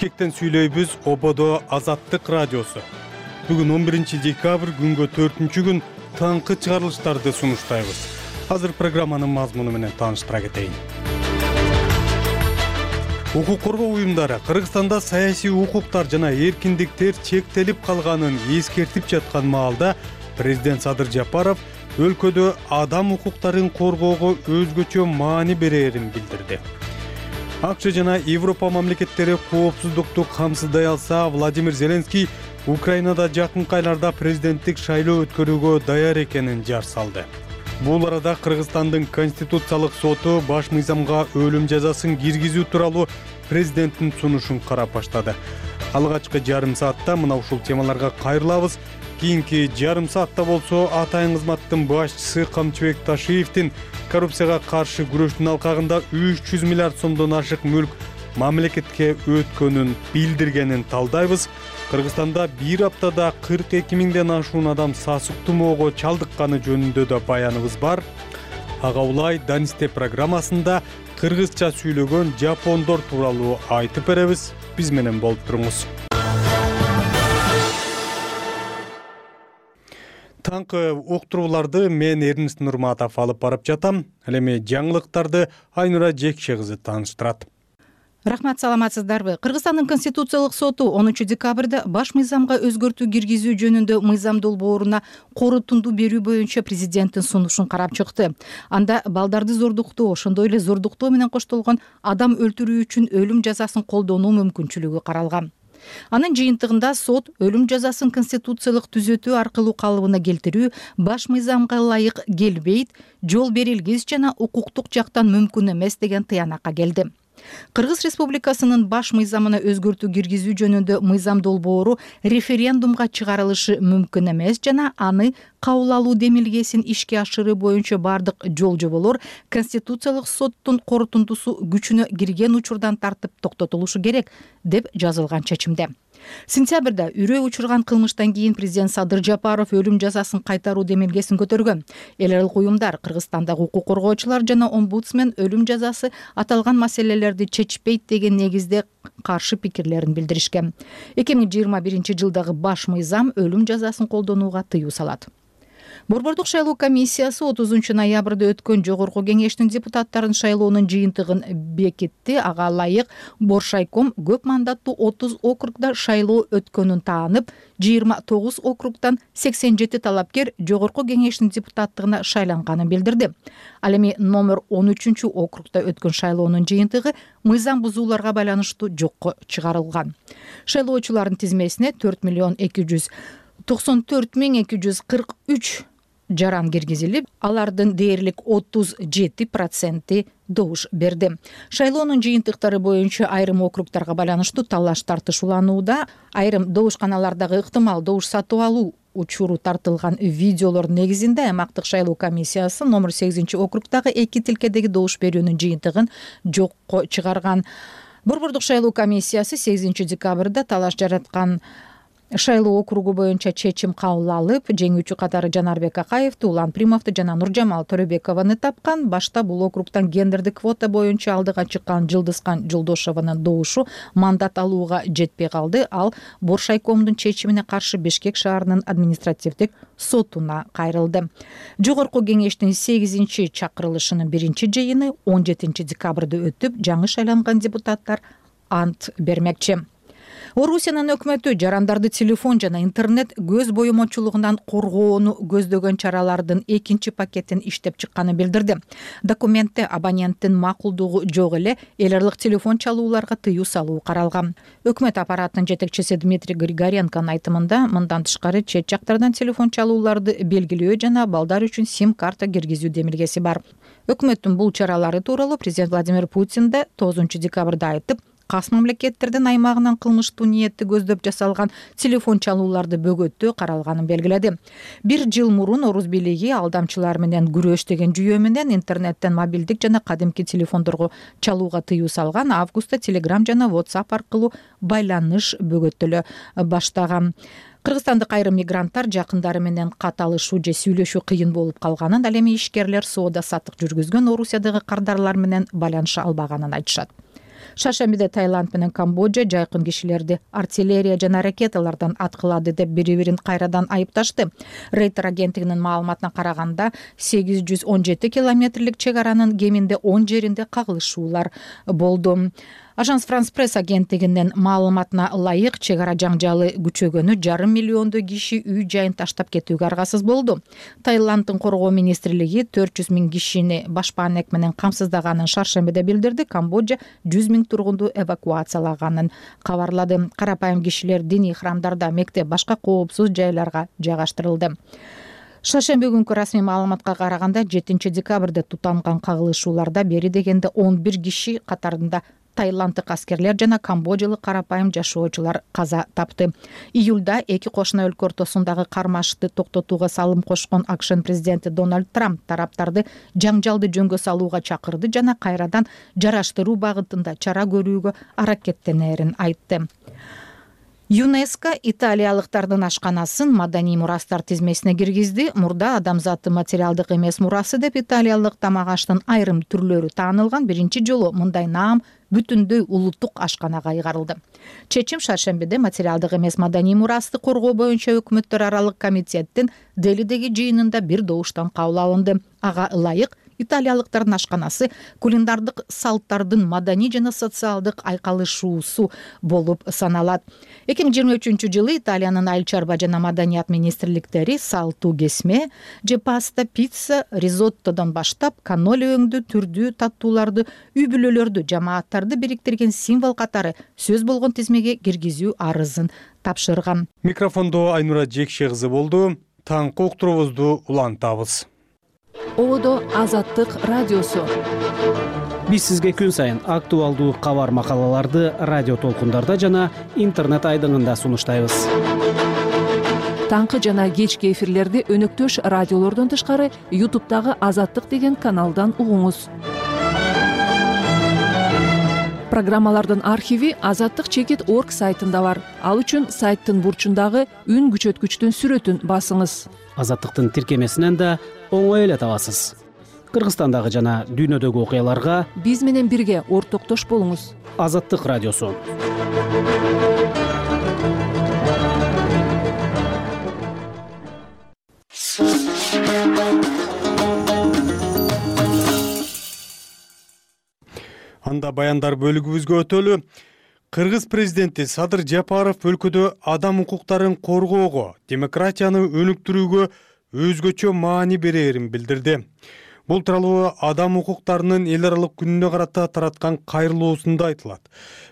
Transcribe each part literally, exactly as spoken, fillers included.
Бишкектен сүйлөйбүз. Ободо Азаттык радиосу. Бүгүн он биринчи декабрь, күнгө төртүнчү күн, таңкы чыгарылыштарды сунуштайбыз. Азыр программанын мазмуну менен тааныштыра кетейин. Укук коргоо уюмдары Кыргызстанда саясий укуктар жана эркиндиктер чектелип калганын эскертип жаткан маалда президент Садыр Жапаров өлкөдө адам укуктарын коргоого өзгөчө маани берерин билдирди. АКШ жана Европа мамлекеттери коопсуздукту камсыздай алса, Владимир Зеленский Украинада жакынкы айларда президенттик шайлоо өткөрүүгө даяр экенин жар салды. Бул арада Кыргызстандын Конституциялык соту баш мыйзамга өлүм жазасын киргизүү тууралуу президенттин сунушун карап баштады. Алгачкы жарым саатта мына ушул темаларга кайрылабыз. Кийинки жарым саатта болсо атайын кызматтын башчысы Камчыбек Ташиевдин коррупцияга каршы күрөштүн алкагында үч жүз миллиард сомдон ашык мүлк мамлекетке өткөнүн билдиргенин талдайбыз. Кыргызстанда бир аптада кырк эки миңден ашуун адам сасык тумоого чалдыкканы жөнүндө да баяныбыз бар. Ага улай Данисте программасында кыргызча сүйлөгөн жапондор тууралуу айтып беребиз. Биз менен болуп туруңуз. Таңкы уктурууларды мен Эрнест Нурматов алып барып жатам. Ал эми жаңылыктарды Айнура Жекше кызы тааныштырат. Рахмат, саламатсыздарбы? Кыргызстандын Конституциялык соту онунчу декабрда баш мыйзамга өзгөртүү киргизүү жөнүндө мыйзам долбооруна корутунду берүү боюнча президенттин сунушун карап чыкты. Анда балдарды зордуктоо, ошондой эле зордуктоо менен коштолгон адам өлтүрүү үчүн өлүм жазасын колдонуу мүмкүнчүлүгү каралган. Анын жыйынтыгында сот өлүм жазасын конституциялык түзөтүү аркылуу калыбына келтирүү баш мыйзамга ылайык келбейт, жол берилгис жана укуктук жактан мүмкүн эмес деген тыянакка келди. Кыргыз Республикасынын баш мыйзамына өзгөртүү киргизүү жөнүндө мыйзам долбоору референдумга чыгарылышы мүмкүн эмес жана аны кабыл алуу демилгесин ишке ашыруу боюнча бардык жол жоболор Конституциялык соттун корутундусу күчүнө кирген учурдан тартып токтотулушу керек деп жазылган чечимде. Сентябрда үрөө учурган кылмыштан кийин президент Садыр Жапаров өлүм жазасын кайтаруу демилгесин көтөргөн. Эл аралык уюмдар, Кыргызстандагы укук коргоочулар жана омбудсмен өлүм жазасы аталган маселелерди чечпейт деген негизде каршы пикирлерин билдиришкен. эки миң жыйырма биринчи жылдагы баш мыйзам өлүм жазасын колдонууга тыюу салат. Борбордук шайлоо комиссиясы отузунчу ноябрда өткөн жогорку кеңештин депутаттарын шайлоонун жыйынтыгын бекитти. Ага ылайык Боршайком көп мандаттуу отуз округда шайлоо өткөнүн таанып, жыйырма тогуз округдан сексен жети талапкер жогорку кеңештин депутаттыгына шайланганын билдирди. Ал эми номер он үчүнчү округда өткөн шайлоонун жыйынтыгы мыйзам бузууларга байланыштуу жокко чыгарылган. Шайлоочулардын тизмесине төрт миллион эки жүз токсон төрт миң эки жүз кырк үч жаран киргизилип, алардын дээрлик отуз жети проценти добуш берди. Шайлоонун жыйынтыктары боюнча айрым округдарга байланыштуу талаш тартышууланууда, айрым добушканалардагы ыктымал добуш сатып алуу учуру тартылган видеолор негизинде аймактык шайлоо комиссиясы номер сегизинчи округдагы эки тилкедеги добуш берүүнүн жыйынтыгын жокко чыгарган. Борбордук шайлоо комиссиясы сегизинчи декабрда талаш жараткан шайлоо округу боюнча чечим кабыл алып, жеңүүчү катары Жанарбек Акаевди, Улан Примовду жана Нуржамал Төрөбекованы тапкан. Башта бул округтан гендердик квота боюнча алдыга чыккан Жылдызкан Жолдошованын добушу мандат алууга жетпей калды. Ал Боршайкомдун чечимине каршы Бишкек шаарынын административдик сотуна кайрылды. Жогорку кеңештин сегизинчи чакырылышынын биринчи жыйыны он жетинчи декабрда өтүп, жаңы шайланган депутаттар ант бермекчи. Орусиянын өкмөтү жарандарды телефон жана интернет көз боемочулугунан коргоону көздөгөн чаралардын экинчи пакетин иштеп чыкканын билдирди. Документте абоненттин макулдугу жок эле эл аралык телефон чалууларга тыюу салуу каралган. Өкмөт аппаратынын жетекчиси Дмитрий Григоренконун айтымында, мындан тышкары чет жактардан телефон чалууларды белгилөө жана балдар үчүн сим-карта киргизүү демилгеси бар. Өкмөттүн бул чаралары тууралуу президент Владимир Путин да тогузунчу декабрда айтып, кас мамлекеттердин аймагынан кылмыштуу ниетти көздөп жасалган телефон чалууларды бөгөттөө каралганын белгиледи. Бир жыл мурун Орус бийлиги алдамчылар менен күрөш деген жүйө менен интернеттен мобилдик жана кадимки телефондорго чалууга тыюу салган. Августта Telegram жана WhatsApp аркылуу байланыш бөгөттөлө баштаган. Кыргызстандык айрым мигранттар жакындары менен кат алышуу же сүйлөшүү кыйын болуп калганын, ал эми ишкерлер соода саттык жүргүзгөн Орусиядагы кардарлар менен байланыша албаганын айтышат. Шаршембиде Таиланд менен Камбоджа жайкын кишилерди артиллерия жана ракеталардан аткылады деп бири бирин кайрадан айыпташты. Рейтер агенттигинин маалыматына караганда сегиз жүз он жети километрлик чек аранын кеминде он жеринде кагылышуулар болду. Ажанс Франс Пресс агенттигинин маалыматына ылайык чек ара жаңжалы күчөгөнү жарым миллиондой киши үй жайын таштап кетүүгө аргасыз болду. Таиланддын коргоо министрлиги төрт жүз миң кишини баш паанек менен камсыздаганын шаршембиде билдирди. Камбоджа жүз миң тургунду эвакуациялаганын кабарлады. Карапайым кишилер диний храмдарда, мектеп, башка коопсуз жайларга жайгаштырылды. Шаршемби күнкү расмий маалыматка караганда жетинчи декабрда тутанган кагылышууларда бери дегенде он бир киши катарында таиланддык аскерлер жана камбоджалык карапайым жашоочулар каза тапты. Июлда эки кошуна өлкө ортосундагы кармашыкты токтотууга салым кошкон АКШнын президенти Дональд Трамп тараптарды жаңжалды жөнгө салууга чакырды жана кайрадан жараштыруу багытында чара көрүүгө аракеттенерин айтты. ЮНЕСКО италиялыктардын ашканасын маданий мурастар тизмесине киргизди. Мурда адамзаттын материалдык эмес мурасы деп италиялык тамак аштын айрым түрлөрү таанылган. Биринчи жолу мындай наам бүтүндөй улуттук ашканага ыйгарылды. Чечим шаршембиде материалдык эмес маданий мурасты коргоо боюнча өкмөттөр аралык комитеттин Делидеги жыйынында бир добуштан кабыл алынды. Ага ылайык италиялыктардын ашканасы кулиндардык салттардын маданий жана социалдык айкалышуусу болуп саналат. эки миң жыйырма үчүнчү жылы Италиянын айыл чарба жана маданият министрликтери салтуу кесме же паста, пицца, ризоттодон баштап каноли өңдүү түрдүү таттууларды, үй бүлөлөрдү, жамааттарды бириктирген символ катары сөз болгон тизмеге киргизүү арызын тапшырган. Микрофондо Айнура Жекше кызы болду. Таңкы уктуруубузду улантабыз. Ободо Азаттык радиосу. Биз сизге күн сайын актуалдуу кабар макалаларды радио толкундарда жана интернет айдыңында сунуштайбыз. Таңкы жана кечки эфирлерди өнөктөш радиолордон тышкары ютубтагы Азаттык деген каналдан угуңуз. Программалардын архиви азаттык чекит точка орг сайтында бар. Ал үчүн сайттын бурчундагы үн күчөткүчтүн сүрөтүн басыңыз. Азаттыктын тиркемесинен да оңой эле табасыз. Кыргызстандагы жана дүйнөдөгү окуяларга биз менен бирге ортоктош болуңуз. Азаттык радиосу. Анда баяндар бөлүгүбүзгө өтөлү. Кыргыз президенти Садыр Жапаров өлкөдө адам укуктарын коргоого, демократияны өнүктүрүүгө өзгөчө маани берерин билдирди. Бул тууралуу адам укуктарынын эл аралык күнүнө карата тараткан кайрылуусунда айтылат.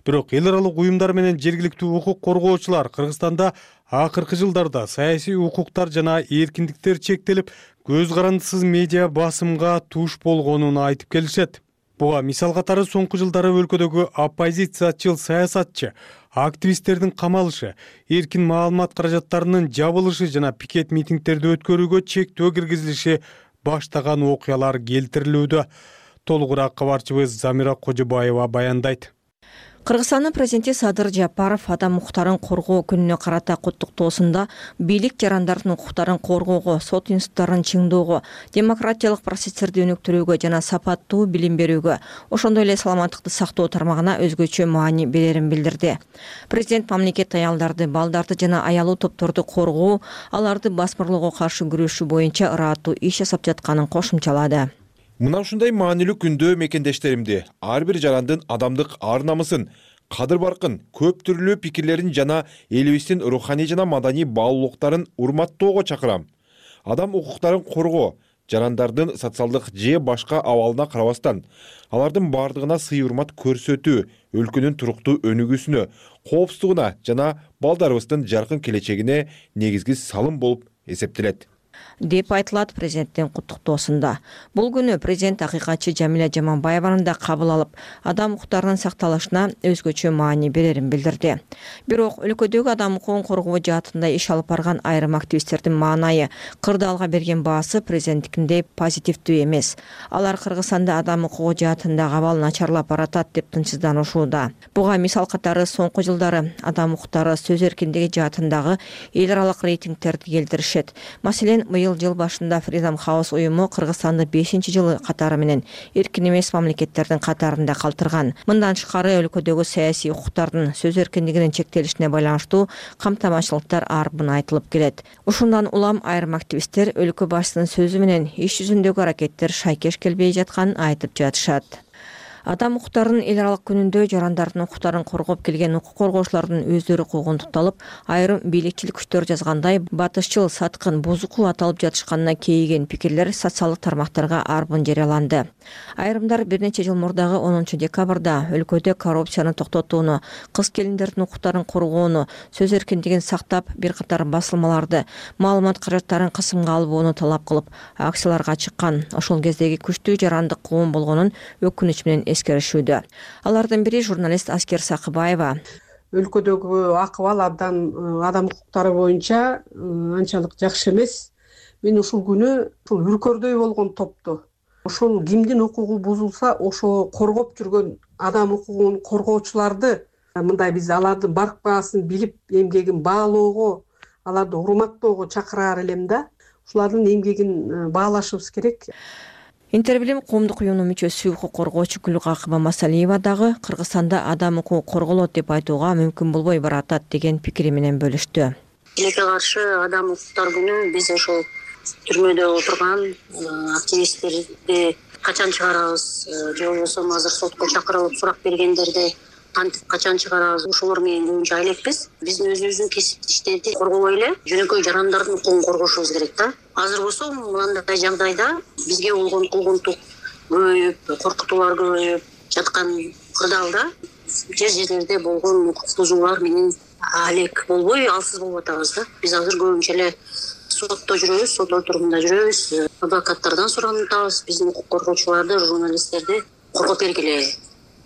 Бирок эл аралык уюмдар менен жергиликтүү укук коргоочулар Кыргызстанда акыркы жылдарда саясий укуктар жана эркиндиктер чектелип, көз карандысыз медиа басымга туш болгонун айтып келишет. Буга мисал катары соңку жылдары өлкөдөгү оппозициячыл саясатчы, активисттердин камалышы, эркин маалымат каражаттарынын жабылышы жана пикет митингдерди өткөрүүгө чектөө киргизилиши баштаган окуялар келтирилүүдө. Толугураак кабарчыбыз Замира Кожобаева баяндайт. Кыргызстандын президенти Садыр Жапаров адам укуктарын коргоо күнүнө карата куттуктоосунда бийлик жарандардын укуктарын коргоого, сот институттарын чыңдоого, демократиялык процесстерди өнүктүрүүгө жана сапаттуу билим берүүгө, ошондой эле саламаттыкты сактоо тармагына өзгөчө маани берерин билдирди. Президент мамлекет аялдарды, балдарды жана аялуу топторду коргоо, аларды басмырлоого каршы күрөшүү боюнча ыраттуу иш жасап жатканын кошумчалады. Мына ушундай маанилүү күндө мекендештеримди, ар бир жарандын адамдык ар-намысын, кадыр-баркын, көп түрлүү пикирлерин жана элибиздин руханий жана маданий баалуулуктарын урматтоого чакырам. Адам укуктарын коргоо, жарандардын социалдык же башка абалына карабастан, алардын бардыгына сый-урмат көрсөтүү өлкөнүн туруктуу өнүгүүсүнө, коопсуздугуна жана балдарыбыздын жаркын келечегине негизги салым болуп эсептелет деп айтылат президенттин куттуктоосунда. Бул күнү президент акыйкатчы Жамиля Жаманбаеваны да кабыл алып, адам укуктарынын сакталышына өзгөчө маани берерин билдирди. Бирок өлкөдөгү адам укугун коргоо жаатында иш алып барган айрым активисттердин маанайы, кырдаалга берген баасы президенттикиндей позитивдүү эмес. Алар Кыргызстанда адам укугу жаатындагы абал начарлап баратат деп тынчсызданышууда. Буга мисал катары соңку жылдары адам укуктары сөз эркиндиги жаатындагы эл аралык рейтингтерди келтиришет. Маселен, менен быйыл жыл башында Freedom House уюму Кыргызстанды бешинчи жылы катары менен эркин эмес мамлекеттердин катарында калтырган. Мындан тышкары өлкөдөгү саясий укуктардын сөз эркиндигинин чектелишине байланыштуу камтамашчылыктар арбын айтылып келет. Ушундан улам айрым активисттер өлкө башчысынын сөзү менен иш жүзүндөгү аракеттер шайкеш келбей жатканын айтып жатышат. Адам укуктарынын эл аралык күнүндө жарандардын укуктарын коргоп келген укук коргоочулардын өздөрү куугунтукталып, айрым бийликчил күчтөр жазгандай батышчыл, саткын, бузуку аталып жатышканына кейиген пикирлер социалдык тармактарга арбын жарыяланды. Айрымдар бир нече жыл мурдагы онунчу декабрда өлкөдө коррупцияны токтотууну, кыз келиндердин укуктарын коргоону, сөз эркиндигин сактап, бир катар басылмаларды, маалымат каражаттарын кысымга албоону талап кылып, акцияларга чыккан. Ошол кездеги күчтүү жарандык куум болгонун өкүнүч менен эскеришүүдө. Алардын бири журналист Аскер Сакыбаева. Өлкөдөгү акыбал абдан адам укуктары боюнча анчалык жакшы эмес. Мен ушул күнү ушул үркөрдөй болгон топту, ошол кимдин укугу бузулса, ошо коргоп жүргөн адам укугун коргоочуларды, мындай биз алардын барк баасын билип, эмгегин баалоого, аларды урматтоого чакыраар элем да. Ушулардын эмгегин баалашыбыз керек. Интербилим коомдук уюмунун мүчөсү укук коргоочу Гүлкакыба Масалиева дагы Кыргызстанда адам укугу корголот деп айтууга мүмкүн болбой баратат деген пикири менен бөлүштү. Тилекке каршы адам укуктар күнү биз ошол түрмөдө отурган активисттерди качан чыгарабыз, же болбосо азыр сотко чакырылып сурак бергендерди кантип качан чыгарабыз, ошолор менен көбүнчө айлекпиз. Биздин өзүбүздүн кесиптештерди коргобой эле жөнөкөй жарандардын укугун коргошубуз керек да. Азыр болсо мындай жагдайда бизге болгон куугунтук көбөйүп, коркутуулар көбөйүп жаткан кырдаалда жер жерлерде болгон укук бузуулар менен алек болбой, алсыз болуп атабыз да. Биз азыр көбүнчө эле сотто жүрөбүз, сот отурумунда жүрөбүз, адвокаттардан суранабыз, биздин укук коргоочуларды, журналисттерди коргоп бергиле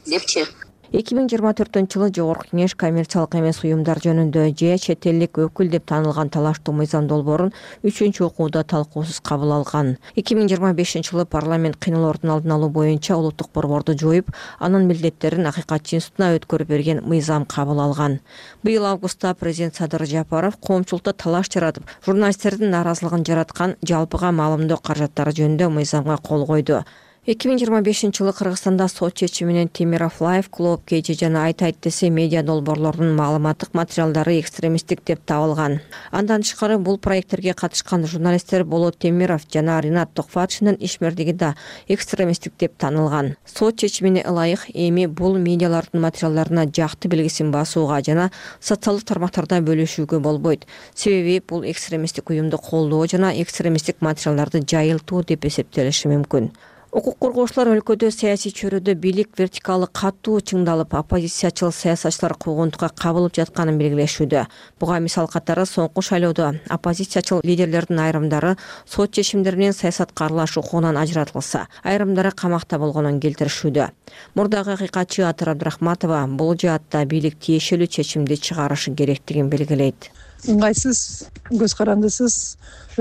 депчи. эки миң жыйырма төртүнчү жылы Жогорку Кеңеш коммерциялык эмес уюмдар жөнүндө же чет элдик өкүл деп таанылган талаштуу мыйзам долбоорун үчүнчү окууда талкуусуз кабыл алган. эки миң жыйырма бешинчи жылы парламент кыйноолордун алдын алуу боюнча улуттук борборду жоюп, анын милдеттерин акыйкатчы институтуна өткөрүп берген мыйзам кабыл алган. Быйыл августта президент Садыр Жапаров коомчулукта талаш жаратып, журналисттердин нааразылыгын жараткан жалпыга маалымдоо каражаттары жөнүндө мыйзамга кол койду. эки миң жыйырма бешинчи жылы Кыргызстанда сот чечими менен Темиров Лайф, Клуб Кечи жана Айт Айт десе медиа долбоорлордун маалыматтык материалдары экстремисттик деп табылган. Андан тышкары бул проекттерге катышкан журналисттер Болот Темиров жана Ринат Токфатшинин ишмердиги да экстремисттик деп танылган. Сот чечимине ылайык эми бул медиалардын материалдарына жакты белгисин басууга жана социалдык тармактарда бөлүшүүгө болбойт. Себеби бул экстремисттик уюмду колдоо жана экстремисттик материалдарды жайылтуу деп эсептелиши мүмкүн. Укук коргоочулар өлкөдө саясий чөйрөдө бийлик вертикалы катуу чыңдалып, оппозициячыл саясатчылар куугунтукка кабылып жатканын белгилешүүдө. Буга мисал катары соңку шайлоодо оппозициячыл лидерлердин айрымдары сот чечимдери менен саясатка аралашуу укугунан ажыратылса, айрымдары камакта болгонун келтиришүүдө. Мурдагы акыйкатчы Атыр Абдрахматова бул жаатта бийлик тиешелүү чечимди чыгарышы керектигин белгилейт. Ыңгайсыз, көз карандысыз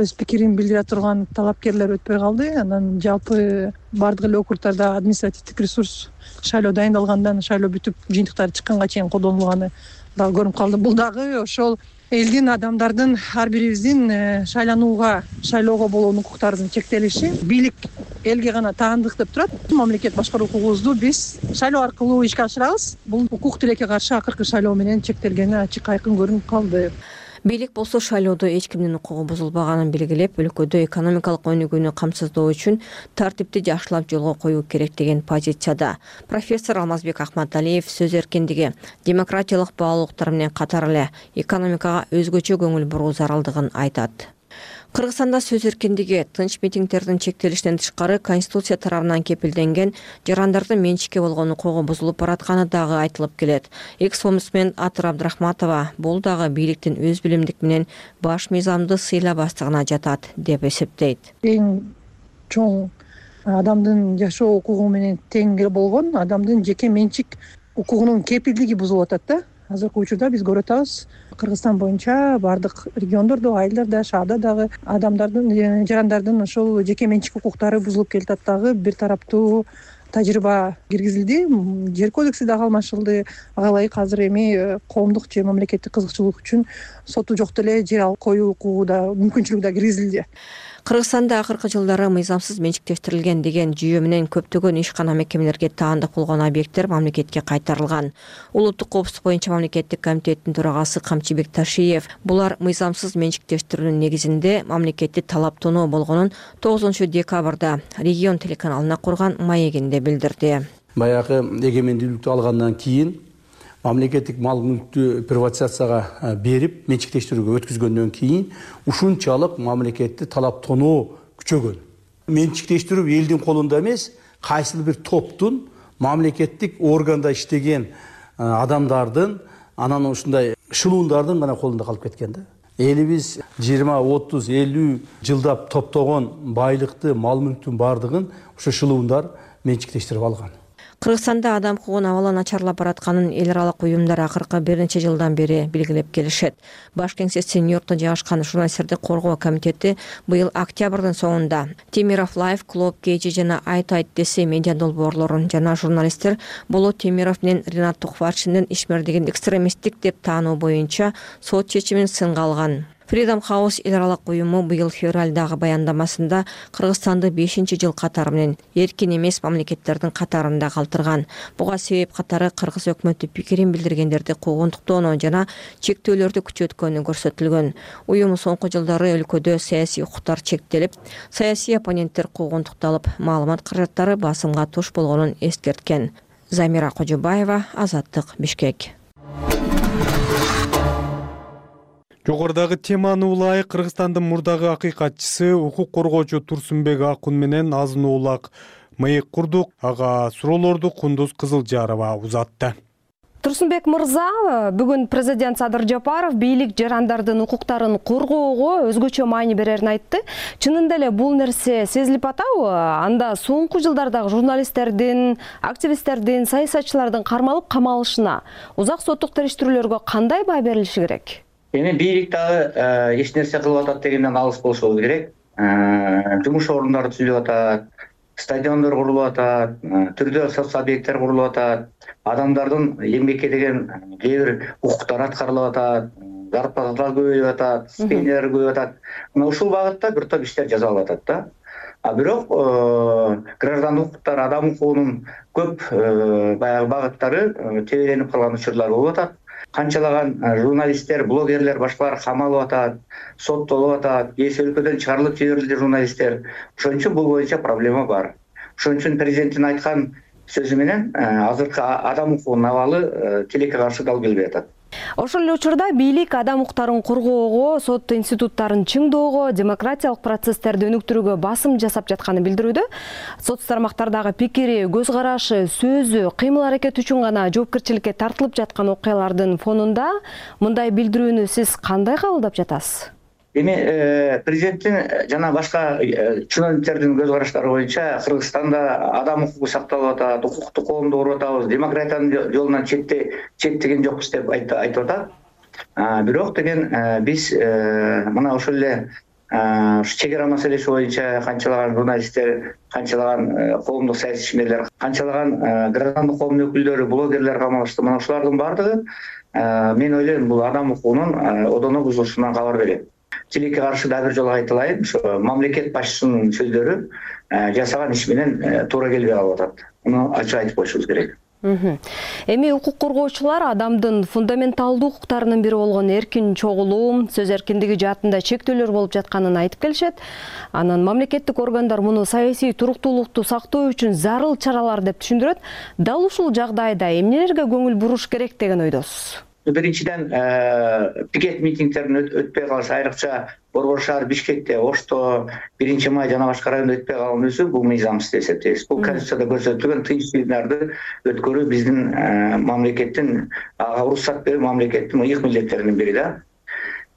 өз пикирин билдире турган талапкерлер өтпөй калды. Анан жалпы бардык эле округдарда административдик ресурс шайлоо дайындалгандан шайлоо бүтүп жыйынтыктары чыкканга чейин колдонулганы дагы көрүнүп калды. Бул дагы ошол элдин, адамдардын, ар бирибиздин шайланууга, шайлоого болгон укуктарынын чектелиши. Бийлик элге гана таандык деп турат. Мамлекет башкаруу укугубузду биз шайлоо аркылуу ишке ашырабыз. Бул укук тилекке каршы акыркы шайлоо менен чектелгени ачык айкын көрүнүп калды. Бийлик болсо шайлоодо эч кимдин укугу бузулбаганын белгилеп, өлкөдө экономикалык өнүгүүнү камсыздоо үчүн тартипти жакшылап жолго коюу керек деген позицияда. Профессор Алмазбек Ахматалиев сөз эркиндиги, демократиялык баалуулуктар менен катар эле экономикага өзгөчө көңүл буруу зарылдыгын айтат. Кыргызстанда сөз эркиндиги, тынч митингдердин чектелишинен тышкары Конституция тарабынан кепилденген жарандардын менчикке болгон укугу бузулуп баратканы дагы айтылып келет. Экс-омбудсмен Атыр Абдрахматова бул дагы бийликтин өз билимдик менен баш мыйзамды сыйлабастыгына жатат деп эсептейт. Эң чоң адамдын жашоо укугу менен тең болгон адамдын жеке менчик укугунун кепилдиги бузулуп атат да. Азыркы учурда биз көрүп атабыз, Кыргызстан боюнча бардык региондордо, айылдарда, шаарда дагы адамдардын, жарандардын ошол жеке менчик укуктары бузулуп келатат. Дагы бир тараптуу тажрыйба киргизилди, жер кодекси дагы алмашылды. Ага ылайык азыр эми коомдук же мамлекеттик кызыкчылык үчүн соту жок деле жер алып коюу укугу да мүмкүнчүлүгү да киргизилди. Кыргызстанда акыркы жылдары мыйзамсыз менчиктештирилген деген жүйө менен көптөгөн ишкана мекемелерге таандык болгон объекттер мамлекетке кайтарылган. Улуттук коопсуздук боюнча мамлекеттик комитеттин төрагасы Камчыбек Ташиев булар мыйзамсыз менчиктештирүүнүн негизинде мамлекетти талаптонуу болгонун тогузунчу декабрда регион телеканалына курган маегинде билдирди. Баягы эгемендүүлүктү алгандан кийин мамлекеттик мал мүлктү приватизацияга берип менчиктештирүүгө өткүзгөндөн кийин ушунчалык мамлекетти талаптонуу күчөгөн. Менчиктештирүү элдин колунда эмес, кайсыл бир топтун мамлекеттик органда иштеген адамдардын, анан ушундай шылуундардын гана колунда калып кеткен да. Элибиз жыйырма, отуз, элүү жылдап топтогон байлыкты, мал мүлктүн бардыгын ушу шылуундар менчиктештирип алган. Кыргызстанда адам укугун абалы начарлап баратканын эл аралык уюмдар акыркы бир нече жылдан бери белгилеп келишет. Баш кеңсеси Нью-Йоркто жайгашкан журналисттерди коргоо комитети быйыл октябрдын соңунда Темиров Лайф, Клуб Кейжи жана Айт Айт десе медиа долбоорлорун жана журналисттер Болот Темиров менен Ринат Тухварчиндин ишмердигин экстремисттик деп таануу боюнча сот чечимин сынга алган. Freedom House эл аралык уюму быйыл февралдагы баяндамасында Кыргызстанды бешинчи жыл катары менен эркин эмес мамлекеттердин катарында калтырган. Буга себеп катары кыргыз өкмөтү пикирин билдиргендерди куугунтуктоону жана чектөөлөрдү күчөткөнү көрсөтүлгөн. Уюм соңку жылдары өлкөдө саясий укуктар чектелип, саясий оппоненттер куугунтукталып, маалымат каражаттары басымга туш болгонун эскерткен. Замира Кожобаева, Азаттык, Бишкек. Жогорудагы теманы улай Кыргызстандын мурдагы акыйкатчысы укук коргоочу Турсунбек Акун менен азын улак маек курдук. Ага суроолорду Кундуз Кызылжарова узатты. Турсунбек мырза, бүгүн президент Садыр Жапаров бийлик жарандардын укуктарын коргоого өзгөчө маани берерин айтты. Чынында эле бул нерсе сезилип атабы? Анда соңку жылдардагы журналисттердин, активисттердин, саясатчылардын кармалып камалышына, узак соттук териштирүүлөргө кандай баа берилиши керек? Эми бийлик дагы эч нерсе кылып атат дегенден алыс болушубуз керек. Жумуш орундары түзүлүп атат, стадиондор курулуп атат, түрдүү соц объекттер курулуп атат, адамдардын эмгекке деген кээ бир укуктары аткарылып атат, зарплаталар көбөйүп атат, стипендиялар көбөйүп атат. Мына ушул багытта бир топ иштер жасалып атат да. А бирок граждандык укуктар, адам укугунун көп баягы багыттары тебеленип калган учурлар болуп атат. Канчалаган журналисттер, блогерлер, башкалар камалып атат, соттолуп атат, эс өлкөдөн чыгарылып жиберилди журналисттер. Ошон үчүн бул боюнча проблема бар. Ошон үчүн президенттин айткан сөзү менен азыркы адам укугунун абалы тилекке каршы дал келбей атат. Ошол эле учурда бийлик адам укуктарын коргоого, сот институттарын чыңдоого, демократиялык процесстерди өнүктүрүүгө басым жасап жатканын билдирүүдө. Сот тармактардагы пикири, көз карашы, сөзү, кыймыл-аракети үчүн гана жоопкерчиликке тартылып жаткан окуялардын фонунда мындай билдирүүнү сиз кандай кабылдап жатасыз? Эми президенттин жана башка чиновниктердин көз караштары боюнча Кыргызстанда адам укугу сакталып атат, укуктук коомду куруп атабыз, демократиянын жолунан четте четтеген жокпуз деп айтып атат. Бирок деген биз мына ошол эле чек ара маселеси боюнча канчалаган журналисттер, канчалаган коомдук саясий ишмерлер, канчалаган граждандык коомдун өкүлдөрү, блогерлер камалышты. Мына ушулардын бардыгы мен ойлойм бул адам укугунун одоно бузулушунан кабар берет. Тилекке каршы да бир жолу айтылайын, ошо мамлекет башчысынын сөздөрү жасаган иш менен туура келбей калып атат. Муну ачык айтып коюшубуз керек. Эми укук коргоочулар адамдын фундаменталдуу укуктарынын бири болгон эркин чогулуу, сөз эркиндиги жаатында чектөөлөр болуп жатканын айтып келишет. Анан мамлекеттик органдар муну саясий туруктуулукту сактоо үчүн зарыл чаралар деп түшүндүрөт. Дал ушул жагдайда эмнелерге көңүл буруш керек деген ойдосуз? Биринчиден пикет митингдердин өтпөй калышы, айрыкча Борбор шаар, Бишкекте, Ошто, биринчи май жана башка райондо өтпөй калган өзү бул мыйзамсыз деп эсептейбиз. Бул конституцияда көрсөтүлгөн тынч жыйындарды өткөрүү биздин мамлекеттин ага уруксат берүү мамлекеттин ыйык милдеттеринин бири да.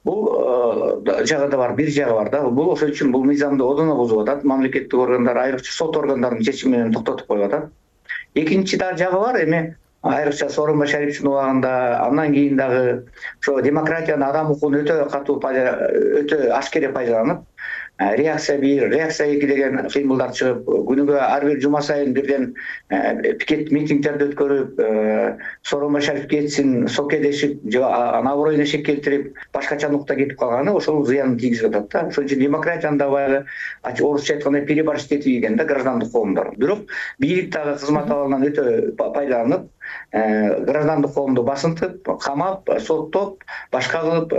Бул жагы да бар, бир жагы бар да. Бул ошол үчүн бул мыйзамды одоно бузуп атат. Мамлекеттик органдар, айрыкча сот органдарынын чечими менен токтотуп коюп атат. Экинчи да жагы бар, эми айрыкча Сооронбай Шариповичтин убагында, андан кийин дагы ошо демократияны, адам укугун өтө катуу, өтө ашкере пайдаланып, реакция бир, реакция эки деген символдар чыгып, күнүгө ар бир жума сайын бирден пикет митингдерди өткөрүп, Сооронбай Шарип кетсин, сокедешип, наборойуна шек келтирип, башкача нукта кетип калганы ошол зыянын тийгизип атат да. Ошон үчүн демократиянын да баягы орусча айтканда переборщик деген да граждандык коомдор. Бирок бийлик дагы кызмат абалынан өтө пайдаланып, граждандык коомду басынтып, камап, соттоп, башка кылып,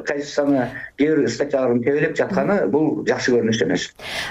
Конституцияны кээ бир статьяларын тебелеп жатканы бул жакшы көрүнүш эмес.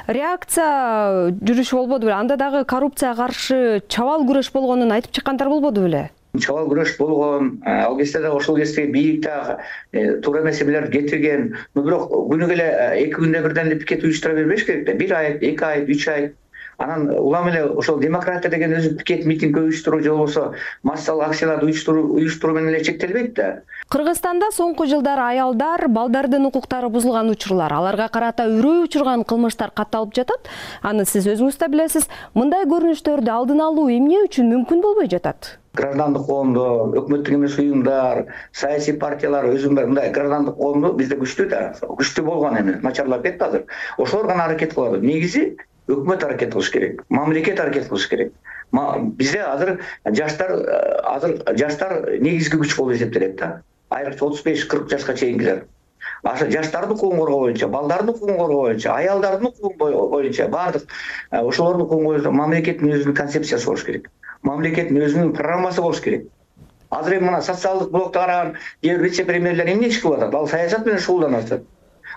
Реакция жүрүш болбоду беле? Анда дагы коррупцияга каршы чабал күрөш болгонун айтып чыккандар болбоду беле? Чабал күрөш болгон, ал кезде да ошол кезде бийлик дагы туура эмес эмелерди кетирген. Бирок күнүгө эле эки күндө бирден эле пикет уюштура бербеш керек да. Бир ай, эки ай, үч ай. Анан улам эле ошол демократия деген өзү пикет митинг уюштуруу же болбосо массалык акцияларды уюштуруу уюштуруу менен эле чектелбейт да. Кыргызстанда соңку жылдары аялдар, балдардын укуктары бузулган учурлар, аларга карата үрөй учурган кылмыштар катталып жатат. Аны сиз өзүңүз да билесиз. Мындай көрүнүштөрдү алдын алуу эмне үчүн мүмкүн болбой жатат? Граждандык коомдо, өкмөттүк эмес уюмдар, саясий партиялар өзүн мындай граждандык коомду бизде күчтүү да, күчтүү болгон эми начарлап кетти азыр. Ошолор гана аракет кылат. Негизи өкмөт аракет кылыш керек, мамлекет аракет кылыш керек. Бизде азыр жаштар азыр жаштар негизги күч болуп эсептелет да. Айрыкча отуз беш кырк жашка чейингилер. Аша жаштардын укугун коргоо боюнча, балдардын укугун коргоо боюнча, аялдардын укугун боюнча бардык ошолордун укугун боюнча мамлекеттин өзүнүн концепциясы болуш керек. Мамлекеттин өзүнүн программасы болуш керек. Азыр эми мына социалдык блокто караган кээ бир вице-премьерлер эмне иш кылып атат? Ал саясат менен шугулданып атат.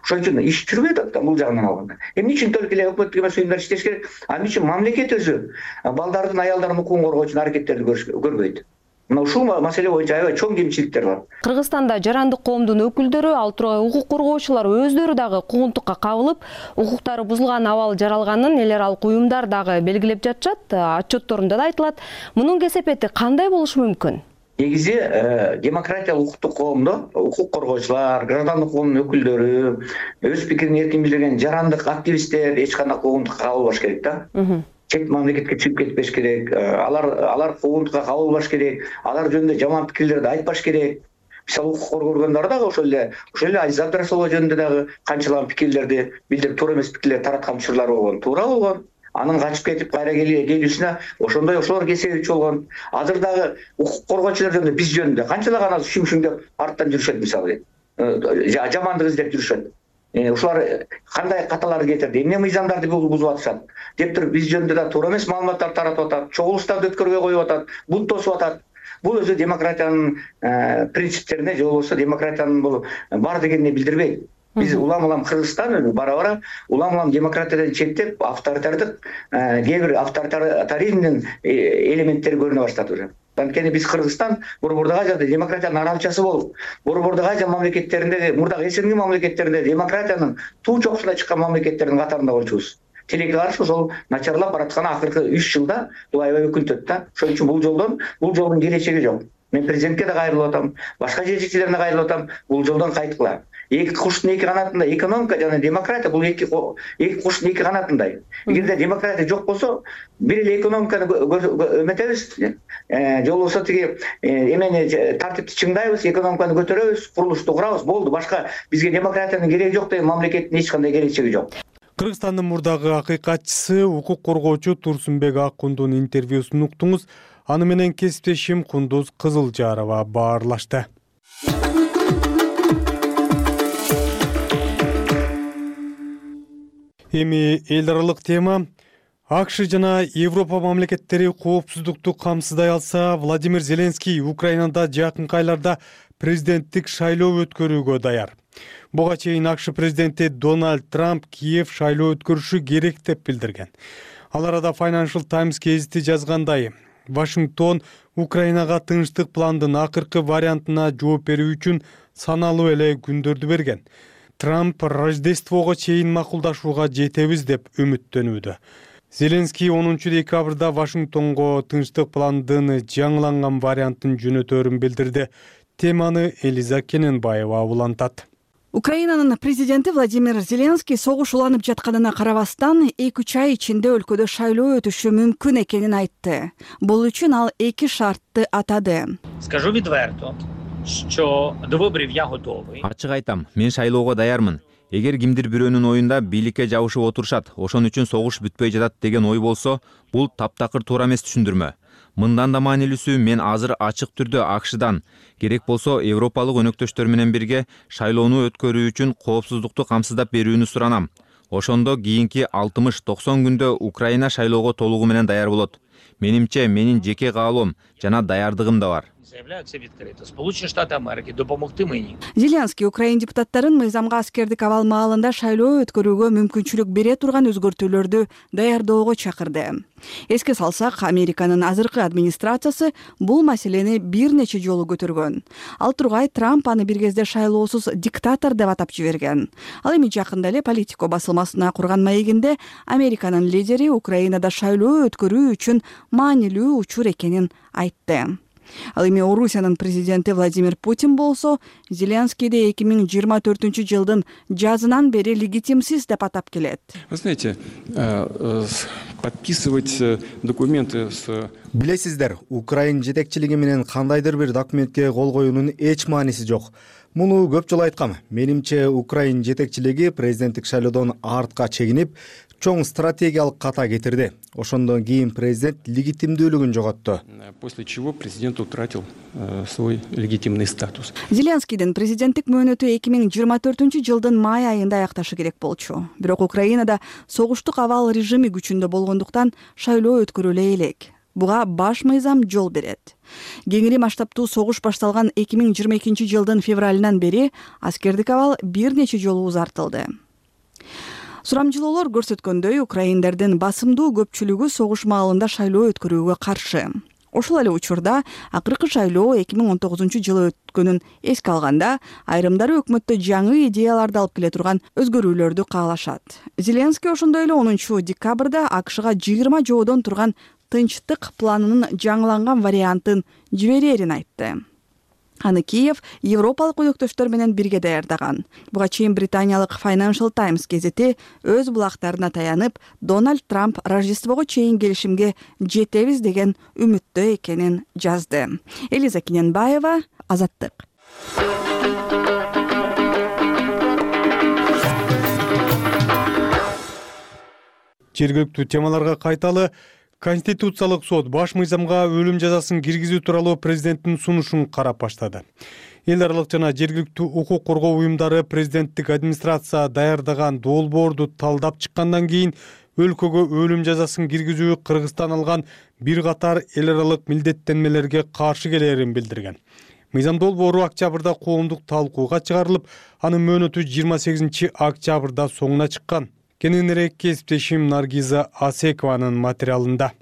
Ошон үчүн иш жүрбөй атат да бул жагынан алганда. Эмне үчүн только эле өкмөттүк эмес уюмдар иштеш керек? Ал үчүн мамлекет өзү балдардын, аялдардын укугун коргоо үчүн аракеттерди көрбөйт. Мына ушул маселе боюнча аябай чоң кемчиликтер бар. Кыргызстанда жарандык коомдун өкүлдөрү, ал тургай укук коргоочулар өздөрү дагы куугунтукка кабылып, укуктары бузулган абал жаралганын эл аралык уюмдар дагы белгилеп жатышат, отчетторунда да айтылат. Мунун кесепети кандай болушу мүмкүн? Негизи демократиялык укуктук коомдо укук коргоочулар, граждандык коомдун өкүлдөрү, өз пикирин эркин билдирген жарандык активисттер эч кандай куугунтукка кабылбаш керек да. Чет мамлекетке чыгып кетпеш керек. Алар алар куугунтукка кабылбаш керек. Алар жөнүндө жаман пикирлерди айтпаш керек. Мисалы укук коргогондар дагы ошол эле ошол эле Азиз Абдрасулова жөнүндө дагы канчалаган пикирлерди билдирип, туура эмес пикирлерди тараткан учурлар болгон. Туура болгон. Анын качып кетип кайра келүүсүнө ошондой ошолор кесебичи болгон. Азыр дагы укук коргоочулар жөнүндө биз жөнүндө канчалаган азыр шүң-шүң деп арттан жүрүшөт мисалы. Жамандык издеп жүрүшөт. Ушулар кандай каталарды кетирди, эмне мыйзамдарды бузуп атышат деп туруп биз жөнүндө да туура эмес маалыматтар таратып атат, чогулуштарды өткөрбөй коюп атат, бунт тосуп атат. Бул өзү демократиянын принциптерине же болбосо демократиянын бул бар дегенине билдирбейт. Биз улам-улам Кыргызстан бара-бара улам-улам демократиядан четтеп, авторитардык кээ бир авторитаризмдин элементтери көрүнө баштады уже. Анткени биз Кыргызстан борбордук Азияда демократиянын аралчасы болуп, борбордук Азия мамлекеттеринде, мурдагы СНГ мамлекеттеринде демократиянын туу чокусуна чыккан мамлекеттердин катарында болчубуз. Тилекке каршы ошол начарлап бараткан акыркы үч жылда бул аябай өкүнтөт да. Ошон үчүн бул жолдон, бул жолдун келечеги жок. Мен президентке да кайрылып атам, башка жетекчилерине кайрылып атам, бул жолдон кайткыла. Эки куштун эки канатында экономика жана демократия бул эки эки куштун эки канатындай. Эгерде демократия жок болсо, бир эле экономиканы өмөтөбүз, же болбосо тиги эмени тартипти чыңдайбыз, экономиканы көтөрөбүз, курулушту курабыз, болду. Башка бизге демократиянын кереги жок деген мамлекеттин эч кандай келечеги жок. Кыргызстандын мурдагы акыйкатчысы, укук коргоочу Турсунбек Аккундун интервьюсун уктуңуз. Аны менен кесиптешим Кундуз Кызылжарова баарлашты. Эми эл аралык тема. АКШ жана Европа мамлекеттери коопсуздукту камсыздай алса, Владимир Зеленский Украинада жакынкы айларда президенттик шайлоо өткөрүүгө даяр. Буга чейин АКШ президенти Дональд Трамп Киев шайлоо өткөрүшү керек деп билдирген. Ал арада Financial Times гезити жазгандай, Вашингтон Украинага тынчтык пландын акыркы вариантына жооп берүү үчүн саналуу эле күндөрдү берген. Трамп Рождествого чейин макулдашууга жетебиз деп үмүттөнүүдө. Зеленский онунчу декабрда Вашингтонго тынчтык пландын жаңыланган вариантын жөнөтөрүн билдирди. Теманы Элиза Кененбаева улантат. Украинанын президенти Владимир Зеленский согуш уланып жатканына карабастан эки үч ай ичинде өлкөдө шайлоо өтүшү мүмкүн экенин айтты. Бул үчүн ал эки шартты атады. Скажу відверто, що до виборів я готовий. Ачык айтам, мен шайлоого даярмын. Эгер кимдир бирөөнүн оюнда бийликке жабышып отурушат, ошон үчүн согуш бүтпөй жатат деген ой болсо, бул таптакыр туура эмес түшүндүрмө. Мындан да маанилүүсү, мен азыр ачык түрдө АКШдан, керек болсо европалык өнөктөштөр менен бирге шайлоону өткөрүү үчүн коопсуздукту камсыздап берүүнү суранам. Ошондо кийинки алтымыш токсон күндө Украина шайлоого толугу менен даяр болот. Менимче, менин жеке каалоом жана даярдыгым да бар. Сполучені Штати Америки допомогти мені. Зеленский Украин депутаттарын мыйзамга аскердик абал маалында шайлоо өткөрүүгө мүмкүнчүлүк бере турган өзгөртүүлөрдү даярдоого чакырды. Эске салсак, Американын азыркы администрациясы бул маселени бир нече жолу көтөргөн. Ал тургай Трамп аны бир кезде шайлоосуз диктатор деп атап жиберген. Ал эми жакында эле Политико басылмасына курган маегинде Американын лидери Украинада шайлоо өткөрүү үчүн маанилүү учур экенин айтты. Ал эми Орусиянын президенти Владимир Путин болсо, Зеленскийди эки миң жыйырма төртүнчү жылдын жазынан бери легитимсиз деп атап келет. Вы знаете, подписывать документы с... Билесиздер, Украин жетекчилиги менен кандайдыр бир документке кол коюунун эч мааниси жок. Муну көп жолу айткам. Менимче, Украин жетекчилиги президенттик шайлоодон артка чегинип, чоң стратегиялык ката кетирди. Ошондон кийин президент легитимдүүлүгүн жоготту. После чего президент утратил э, свой легитимный статус. Зеленскийдин президенттик мөөнөтү эки миң жыйырма төртүнчү жылдын май айында аякташы керек болчу. Бирок Украинада согуштук абал режими күчүндө болгондуктан шайлоо өткөрүлө элек. Буга баш мыйзам жол берет. Кеңири масштабтуу согуш башталган эки миң жыйырма экинчи жылдын февралынан бери аскердик абал бир нече жолу узартылды. Сурамжылоолор көрсөткөндөй, украиндардын басымдуу көпчүлүгү согуш маалында шайлоо өткөрүүгө каршы. Ошол эле учурда акыркы шайлоо эки миң он тогузунчу жылы өткөнүн эске алганда, айрымдары өкмөттө жаңы идеяларды алып келе турган өзгөрүүлөрдү каалашат. Зеленский ошондой эле онунчу декабрда АКШга жыйырма жоодон турган тынчтык планынын жаңыланган вариантын жиберерин айтты. Аны Киев европалык өнөктөштөр менен бирге даярдаган. Буга чейин британиялык Financial Times газети өз булактарына таянып, Дональд Трамп Рождествого чейин келишимге жетебиз деген үмүттө экенин жазды. Элиза Киненбаева, Азаттык. Жергиликтүү темаларга кайталы. Конституциялык сот баш мыйзамга өлүм жазасын киргизүү тууралуу президенттин сунушун карап баштады. Эл аралык жана жергиликтүү укук коргоо уюмдары президенттик администрация даярдаган долбоорду талдап чыккандан кийин өлкөгө өлүм жазасын киргизүү Кыргызстан алган бир катар эл аралык милдеттенмелерге каршы келерин билдирген. Мыйзам долбоору октябрда коомдук талкууга чыгарылып, анын мөөнөтү жыйырма сегизинчи октябрда соңуна чыккан. Кененирээк кесиптешим Наргиза Асекованын материалында.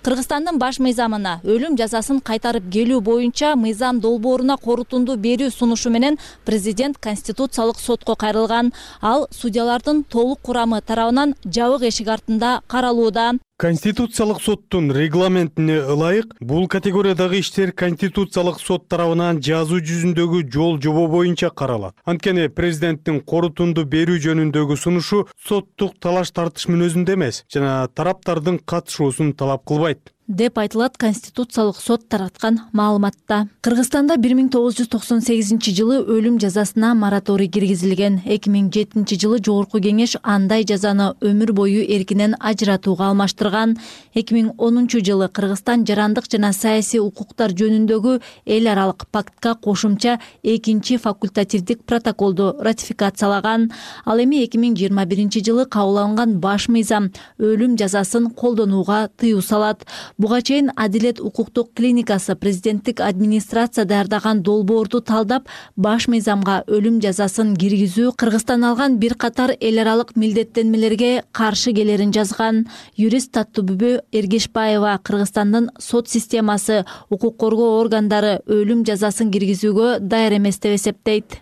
Кыргызстандын баш мыйзамына өлүм жазасын кайтарып келүү боюнча мыйзам долбооруна корутунду берүү сунушу менен президент Конституциялык сотко кайрылган. Ал судьялардын толук курамы тарабынан жабык эшик артында каралууда. Конституциялык соттун регламентине ылайык бул категориядагы иштер Конституциялык сот тарабынан жазуу жүзүндөгү жол жобо боюнча каралат. Анткени президенттин корутунду берүү жөнүндөгү сунушу соттук талаш тартыш мүнөзүндө эмес жана тараптардын катышуусун талап кылбайт деп айтылат Конституциялык сот тараткан маалыматта. Кыргызстанда бир миң тогуз жүз токсон сегизинчи жылы өлүм жазасына мораторий киргизилген. эки миң жетинчи жылы Жогорку Кеңеш андай жазаны өмүр бою эркинен ажыратууга алмаштырган. эки миң онунчу жылы Кыргызстан жарандык жана саясий укуктар жөнүндөгү эл аралык пактка кошумча экинчи факультативдик протоколду ратификациялаган. Ал эми эки миң жыйырма биринчи жылы кабыл алынган баш мыйзам өлүм жазасын колдонууга тыюу салат. Буга чейин Адилет укуктук клиникасы президенттик администрация даярдаган долбоорду талдап, баш мыйзамга өлүм жазасын киргизүү Кыргызстан алган бир катар эл аралык милдеттенмелерге каршы келерин жазган. Юрист Таттыбүбө Эргешбаева Кыргызстандын сот системасы, укук коргоо органдары өлүм жазасын киргизүүгө даяр эмес деп эсептейт.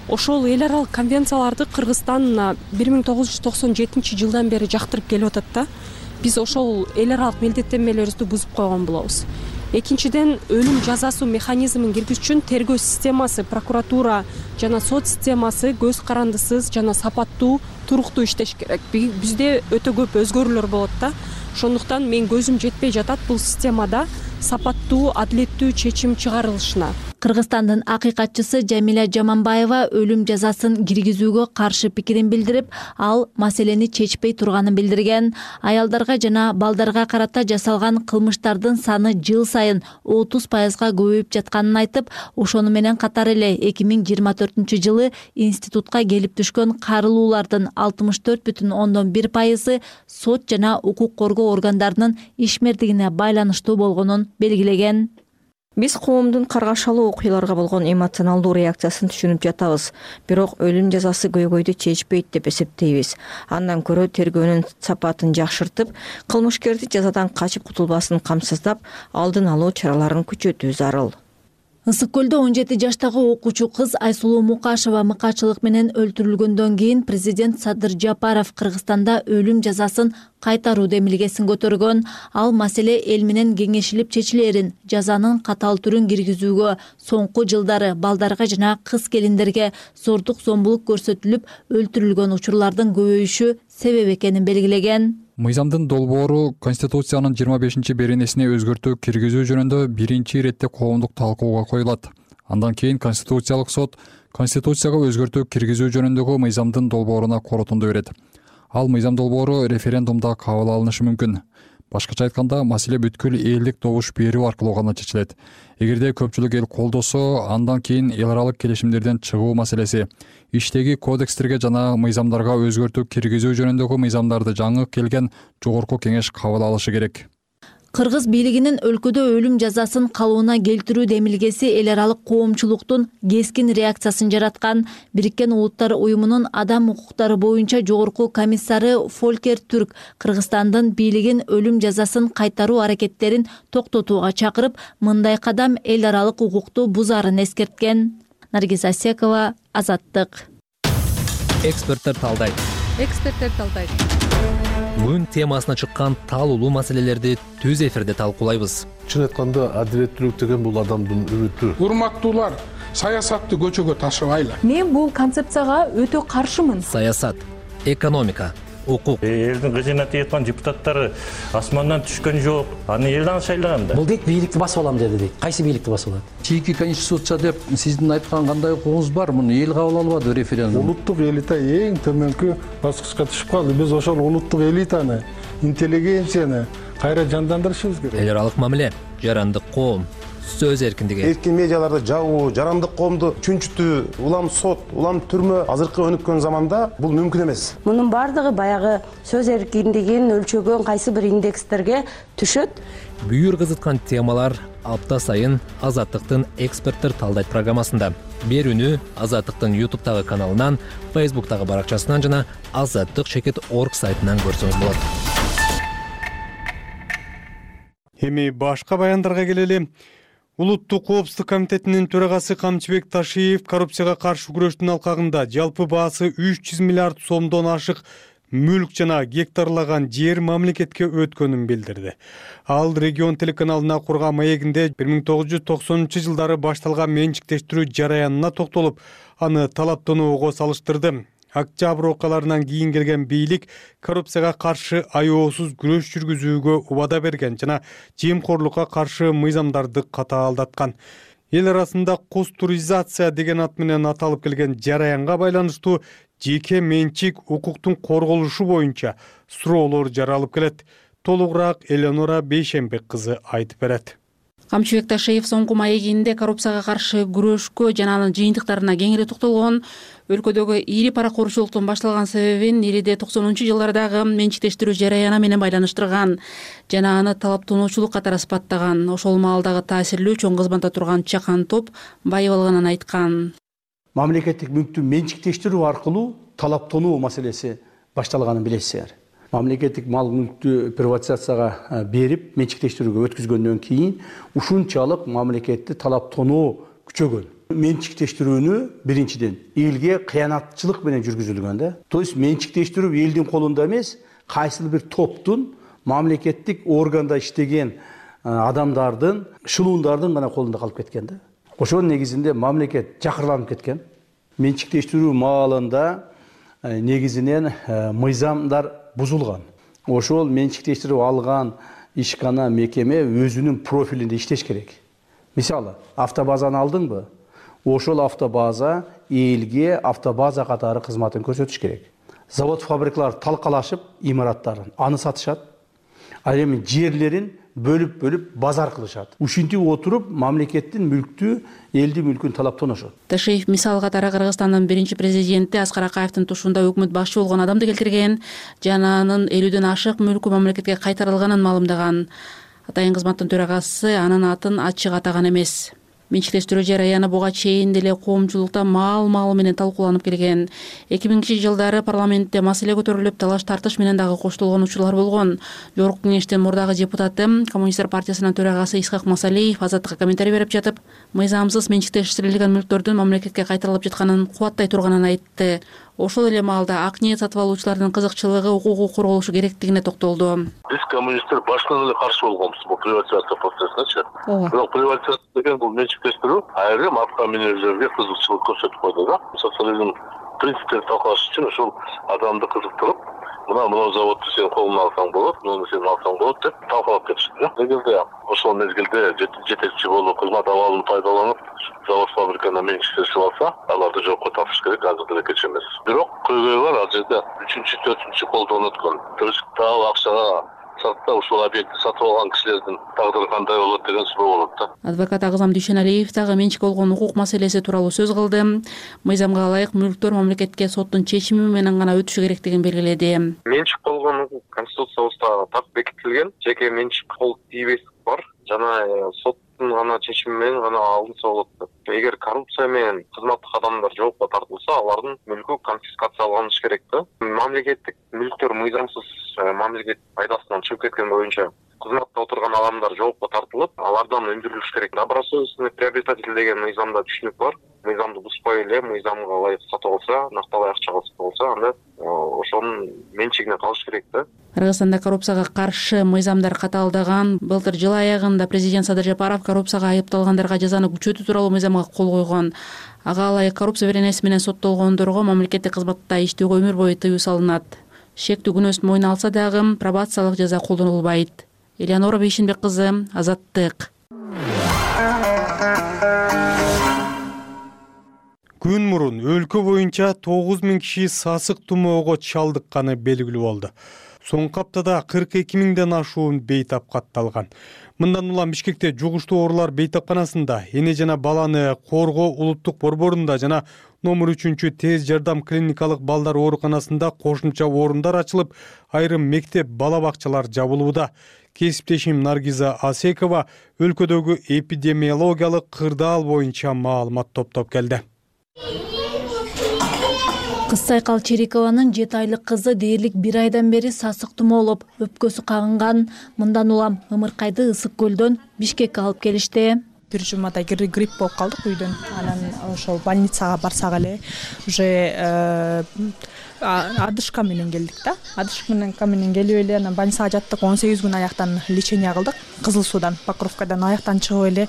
Ошол эл аралык конвенцияларды Кыргызстан бир миң тогуз жүз токсон жетинчи жылдан бери жактырып келип атат да. Биз ошол эл аралык милдеттенмелерибизди бузуп койгон болобуз. Экинчиден, өлүм жазасы механизмин киргизүү үчүн тергөө системасы, прокуратура жана сот системасы көз карандысыз жана сапаттуу, туруктуу иштеш керек. Бизде өтө көп өзгөрүүлөр болот да. Ошондуктан мен көзүм жетпей жатат бул системада сапаттуу, адилеттүү чечим чыгарылышына. Кыргызстандын акыйкатчысы Жамиля Жаманбаева өлүм жазасын киргизүүгө каршы пикирин билдирип, ал маселени чечпей турганын билдирген. Аялдарга жана балдарга карата жасалган кылмыштардын саны жыл сайын отуз пайызга көбөйүп жатканын айтып, ошону менен катар эле эки миң жыйырма төртүнчү жылы институтка келип түшкөн карылуулардын алтымыш төрт бүтүн ондон бир пайызы сот жана укук коргоо органдарынын ишмердигине байланыштуу болгонун белгилеген. Биз коомдун каргашалуу окуяларга болгон эмоционалдуу реакциясын түшүнүп жатабыз, бирок өлүм жазасы көйгөйдү чечпейт деп эсептейбиз. Андан көрө тергөөнүн сапатын жакшыртып, кылмышкерди жазадан качып кутулбасын камсыздап, алдын алуу чараларын күчөтүү зарыл. Ысык көлдө он жети жаштагы окуучу кыз Айсулуу Мукашева мыкаачылык менен өлтүрүлгөндөн кийин президент Садыр Жапаров Кыргызстанда өлүм жазасын кайтаруу демилгесин көтөргөн. Ал маселе эл менен кеңешилип чечилерин, жазанын катаал түрүн киргизүүгө, соңку жылдары балдарга жана кыз келиндерге зордук зомбулук көрсөтүлүп өлтүрүлгөн учурлардын көбөйүшү себеп экенин белгилеген. Мыйзамдын долбоору Конституциянын жыйырма бешинчи беренесине өзгөртүү киргизүү жөнүндө биринчи иретте коомдук талкууга коюлат. Андан кийин Конституциялык сот Конституцияга өзгөртүү киргизүү жөнүндөгү мыйзамдын долбооруна корутунду берет. Ал мыйзам долбоору референдумда кабыл алынышы мүмкүн. Башкача айтканда, маселе бүткүл элдик добуш берүү аркылуу гана чечилет. Эгерде көпчүлүк эл колдосо, андан кийин эл аралык келишимдерден чыгуу маселеси, иштеги кодекстерге жана мыйзамдарга өзгөртүү киргизүү жөнүндөгү мыйзамдарды жаңы келген жогорку кеңеш кабыл алышы керек. Кыргыз бийлигинин өлкөдө өлүм жазасын калыбына келтирүү демилгеси эл аралык коомчулуктун кескин реакциясын жараткан. Бириккен Улуттар уюмунун адам укуктары боюнча жогорку комиссары Фолькер Түрк Кыргызстандын бийлигин өлүм жазасын кайтаруу аракеттерин токтотууга чакырып, мындай кадам эл аралык укукту бузаарын эскерткен. Наргиз Асекова, Азаттык. Эксперттер талдайт. Эксперттер талдайт. Күн темасына чыккан талуулуу маселелерди түз эфирде талкуулайбыз. Чын айтканда, адилеттүүлүк деген бул адамдын үмүтү. Урматтуулар, саясатты көчөгө ташыбайлы. Мен бул концепцияга өтө каршымын. Саясат, экономика, укук. Элдин кызына тийаткан депутаттары асмандан түшкөн жок. Аны элден шайлаган да. Бул дейт бийликти басып алам деди дейт. Кайсы бийликти басып алат? Чийки конституция деп сиздин айткан кандай укугуңуз бар? Муну эл кабыл албады референдум. Улуттук элита эң төмөнкү баскычка түшүп калды. Биз ошол улуттук элитаны, интеллигенцияны кайра жандандырышыбыз керек. Эл аралык мамиле, жарандык коом, сөз эркиндиги. Эркин медиаларды жабуу, жарандык коомду чүнчүтүү, улам сот, улам түрмө азыркы өнүккөн заманда бул мүмкүн эмес. Мунун бардыгы баягы сөз эркиндигин өлчөгөн кайсы бир индекстерге түшөт. Бүйүр кызыткан темалар апта сайын Азаттыктын эксперттер талдайт программасында. Берүүнү Азаттыктын ютубтагы каналынан, фейсбуктагы баракчасынан жана азаттык чекит орг сайтынан көрсөңүз болот. Эми башка баяндарга келели. Улуттук коопсуздук комитетинин төрагасы Камчыбек Ташиев коррупцияга каршы күрөштүн алкагында жалпы баасы үч жүз миллиард сомдон ашык мүлк жана гектарлаган жер мамлекетке өткөнүн билдирди. Ал регион телеканалына курган маегинде бир миң тогуз жүз токсонунчу жылдары башталган менчиктештирүү жараянына токтолуп, аны талаптоноого салыштырды. Октябрь окуяларынан кийин келген бийлик коррупцияга каршы аеосуз күрөш жүргүзүүгө убада берген жана жемкорлукка каршы мыйзамдарды катаалдаткан. Эл арасында костуризация деген ат менен аталып келген жараянга байланыштуу жеке менчик укуктун корголушу боюнча суроолор жаралып келет. Толугураак Элеонора Бейшембек кызы айтып берет. Камчыбек Ташиев соңку маегинде коррупцияга каршы күрөшкө жана анын жыйынтыктарына кеңири токтолгон. Өлкөдөгү ири паракорчулуктун башталган себебин ириде токсонунчу жылдардагы менчиктештирүү жараяны менен байланыштырган жана аны талаптоочулук катары сыпаттаган. Ошол маалдагы таасирлүү чоң кызматта турган чакан топ байып алганын айткан. Мамлекеттик мүлктү менчиктештирүү аркылуу талаптонуу маселеси башталганын билесиздер. Мамлекеттик мал мүлктү приватизацияга берип, менчиктештирүүгө өткүзгөндөн кийин ушунчалык мамлекетти талаптонуу күчөгөн. Менчиктештирүүнү биринчиден элге кыянатчылык менен жүргүзүлгөн да. То есть менчиктештирүү элдин колунда эмес, кайсыл бир топтун мамлекеттик органда иштеген адамдардын, шылуундардын гана колунда калып кеткен да. Ошонун негизинде мамлекет жакырланып кеткен. Менчиктештирүү маалында негизинен мыйзамдар бузулган. Ошол менчиктештирип алган ишкана мекеме өзүнүн профилинде иштеш керек. Мисалы, автобазаны алдыңбы? Ошол автобаза элге автобаза катары кызматын көрсөтүш керек. Завод фабрикалар талкалашып имараттарын аны сатышат. Ал эми жерлерин бөлүп-бөлүп базар кылышат. Ушинтип отуруп мамлекеттин мүлктү, элдин мүлкүн талаптанышат. Ташиев мисал катары Кыргызстандын биринчи президенти Аскар Акаевдин тушунда өкмөт башчы болгон адамды келтирген жана анын элүүдөн ашык мүлкү мамлекетке кайтарылганын маалымдаган. Атайын кызматтын төрагасы анын атын ачык атаган эмес. Менчиктештирүү жараяны буга чейин деле коомчулукта маал-маал менен талкууланып келген. эки миңинчи жылдары парламентте маселе көтөрүлүп, талаш тартыш менен дагы коштолгон учурлар болгон. Жогорку кеңештин мурдагы депутаты, Коммунисттер партиясынын төрагасы Исхак Масалиев Азаттыкка комментарий берип жатып, мыйзамсыз менчиктештирилген мүлктөрдүн мамлекетке кайтарылып жатканын кубаттай турганын айтты. Ошол эле маалда ак ниет сатып алуучулардын кызыкчылыгы укугу корголушу керектигине токтолду. Биз коммунисттер башынан эле каршы болгонбуз бул приватизация процессине. Бирок приватизация деген бул менчиктештирүү айрым атка минердерге кызыкчылык көрсөтүп койду да. Социализм принциптерин талкалаш үчүн ушул адамды кызыктырып, мына мына заводду сен колуна алсаң болот, муну сен алсаң болот деп талкалап кетишти да. Эгерде ошол мезгилде жетекчи болуп кызмат абалын пайдаланып завод фабриканы менчиктешип алса, аларды жокко тартыш керек, азыр деле кеч эмес. Бирок көйгөй бар, ал жерде үчүнчү, төртүнчү колдон өткөн. Туристтагы акчага сатта ушул объектти сатып алган кишилердин тагдыры кандай болот деген суроо болот да. Адвокат Агзам Дүйшеналиев дагы менчик болгон укук маселеси тууралуу сөз кылды. Мыйзамга ылайык мүлктөр мамлекетке соттун чечими менен гана өтүшү керектигин белгиледи. Менчик болгон укук конституциябызда так бекитилген. Жеке менчик кол тийбестик бар жана соттун гана чечими менен гана алынса болот. Эгер коррупция менен кызматтык адамдар жоопко тартылса, алардын мүлкү конфискацияланыш керек да. Мамлекеттик мүлктөр мыйзамсыз мамлекет пайдасынан чыгып кеткен боюнча кызматта отурган адамдар жоопко тартылып, алардан өндүрүлүш керек. Добросовестный приобретатель деген мыйзамда түшүнүк бар. Мыйзамды бузбай эле мыйзамга ылайык сатып алса, накталай акчага сатып алса, анда ошонун менчигине калыш керек да. Кыргызстанда коррупцияга каршы мыйзамдар катаалдаган. Былтыр жыл аягында президент Садыр Жапаров коррупцияга айыпталгандарга жазаны күчөтүү тууралуу мыйзамга кол койгон. Ага ылайык коррупция беренеси менен соттолгондорго мамлекеттик кызматта иштөөгө өмүр бою тыюу салынат. Шектүү күнөөсүн мойнуна алса дагы пробациялык жаза колдонулбайт. Элеонора Бейшенбек кызы, Азаттык. Күн мурун өлкө боюнча тогуз миң киши сасык тумоого чалдыкканы белгилүү болду. Соңку аптада кырк эки миңден ашуун бейтап катталган. Мындан улам Бишкекте жугуштуу оорулар бейтапканасында, эне жана баланы коргоо улуттук борборунда жана номер үчүнчү тез жардам клиникалык балдар ооруканасында кошумча орундар ачылып, айрым мектеп бала бакчалар жабылууда. Кесиптешим Наргиза Асекова өлкөдөгү эпидемиологиялык кырдаал боюнча маалымат топтоп келди. Кызсайкал Черикованын жети айлык кызы дээрлик бир айдан бери сасык тумоолоп, өпкөсү кагынган. Мындан улам ымыркайды Ысык көлдөн Бишкекке алып келишти. Бир жумада грипп болуп калдык үйдөн. Анан ошол больницага барсак эле уже адышка менен келдик да. Адышка менен келип эле анан больницага жаттык. он сегиз күн аяктан лечение кылдык. Кызыл суудан, Покровкадан аяктан чыгып эле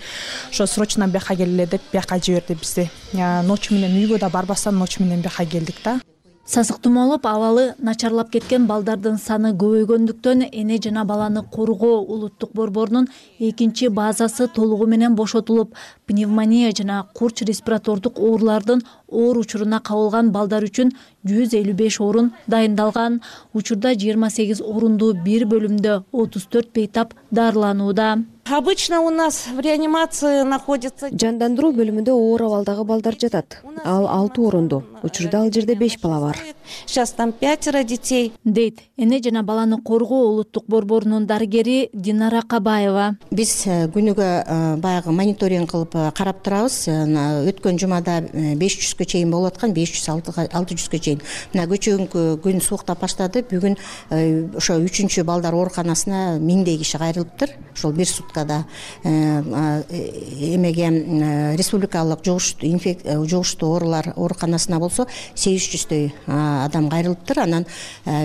ошо срочно бияка келе деп бияка жиберди бизди. Ночь менен үйгө да барбастан ночь менен бияка келдик да. Сасык тумоолоп абалы начарлап кеткен балдардын саны көбөйгөндүктөн эне жана баланы коргоо улуттук борборунун экинчи базасы толугу менен бошотулуп, пневмония жана курч респиратордук оорулардын оор учуруна кабылган балдар үчүн жүз элүү беш орун дайындалган. Учурда жыйырма сегиз орундуу бир бөлүмдө отуз төрт бейтап дарыланууда. Обычно у нас в реанимации находится... Жандандыруу бөлүмүндө оор абалдагы балдар жатат. Ал алты орундуу. Учурда ал жерде беш бала бар. Сейчас там пятеро детей. Дейт эне жана баланы коргоо улуттук борборунун дарыгери Динара Кабаева. Биз күнүгө баягы мониторинг кылып карап турабыз. Өткөн жумада беш жүзгө чейин болуп аткан, беш жүз алты жүзгө чейин. Мына көчөгүнкү күн сууктап баштады. Бүгүн ошо үчүнчү балдар ооруканасына миңдей киши кайрылыптыр. Ошол бир суткада эмеге республикалык жугуштуу оорулар ооруканасына болсо сегиз жүздөй адам кайрылыптыр. Анан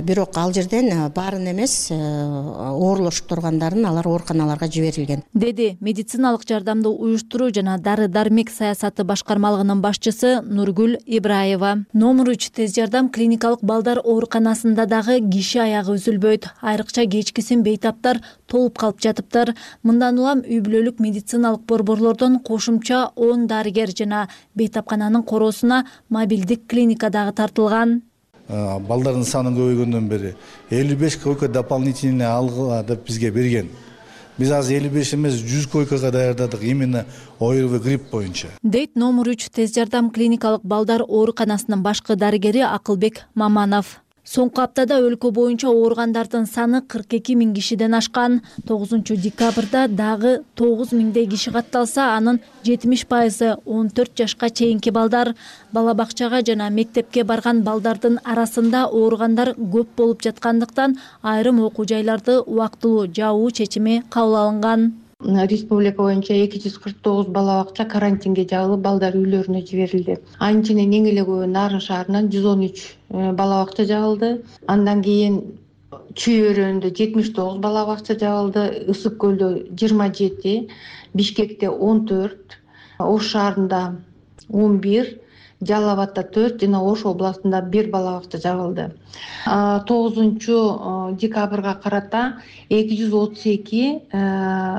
бирок ал жерден баарын эмес, оорулошуп тургандарын алар ооруканаларга жиберилген. Деди медициналык жардамды уюштуруу жана дары дармек саясаты башкармалыгынын башчысы Нургүл Ибраева. Номер үч тез жардам клиникалык балдар ооруканасында дагы киши аягы үзүлбөйт. Айрыкча кечкисин бейтаптар толуп калып жатыптыр. Мындан Мындан улам үй бүлөлүк медициналык борборлордон кошумча он дарыгер жана бейтапкананын короосуна мобилдик клиника дагы тартылган. Балдардын саны көбөйгөндөн бери элүү беш койка дополнительный алгыла деп бизге берген. Биз азыр элүү беш эмес жүз койкага даярдадык именно ОРВИ грипп боюнча. Дейт номер үч тез жардам клиникалык балдар ооруканасынын башкы дарыгери Акылбек Маманов. Соңку аптада өлкө боюнча ооругандардын саны кырк эки миң кишиден ашкан. тогузунчу декабрда дагы тогуз миңдей киши катталса, анын жетимиш пайызы он төрт жашка чейинки балдар. Бала бакчага жана мектепке барган балдардын арасында ооругандар көп болуп жаткандыктан айрым окуу жайларды убактылуу жабуу чечими кабыл алынган. Республика боюнча эки жүз кырк тогуз бала бакча карантинге жабылып, балдар үйлөрүнө жиберилди. Анын ичинен эң эле көбү Нарын шаарынан жүз он үч бала бакча жабылды. Андан кийин Чүй өрөөнүндө жетимиш тогуз бала бакча жабылды, Ысык көлдө жыйырма жети, Бишкекте он төрт, Ош шаарында он бир, Жалал абадда төрт жана Ош областында бир бала бакча жабылды. тогузунчу декабрга карата эки жүз отуз эки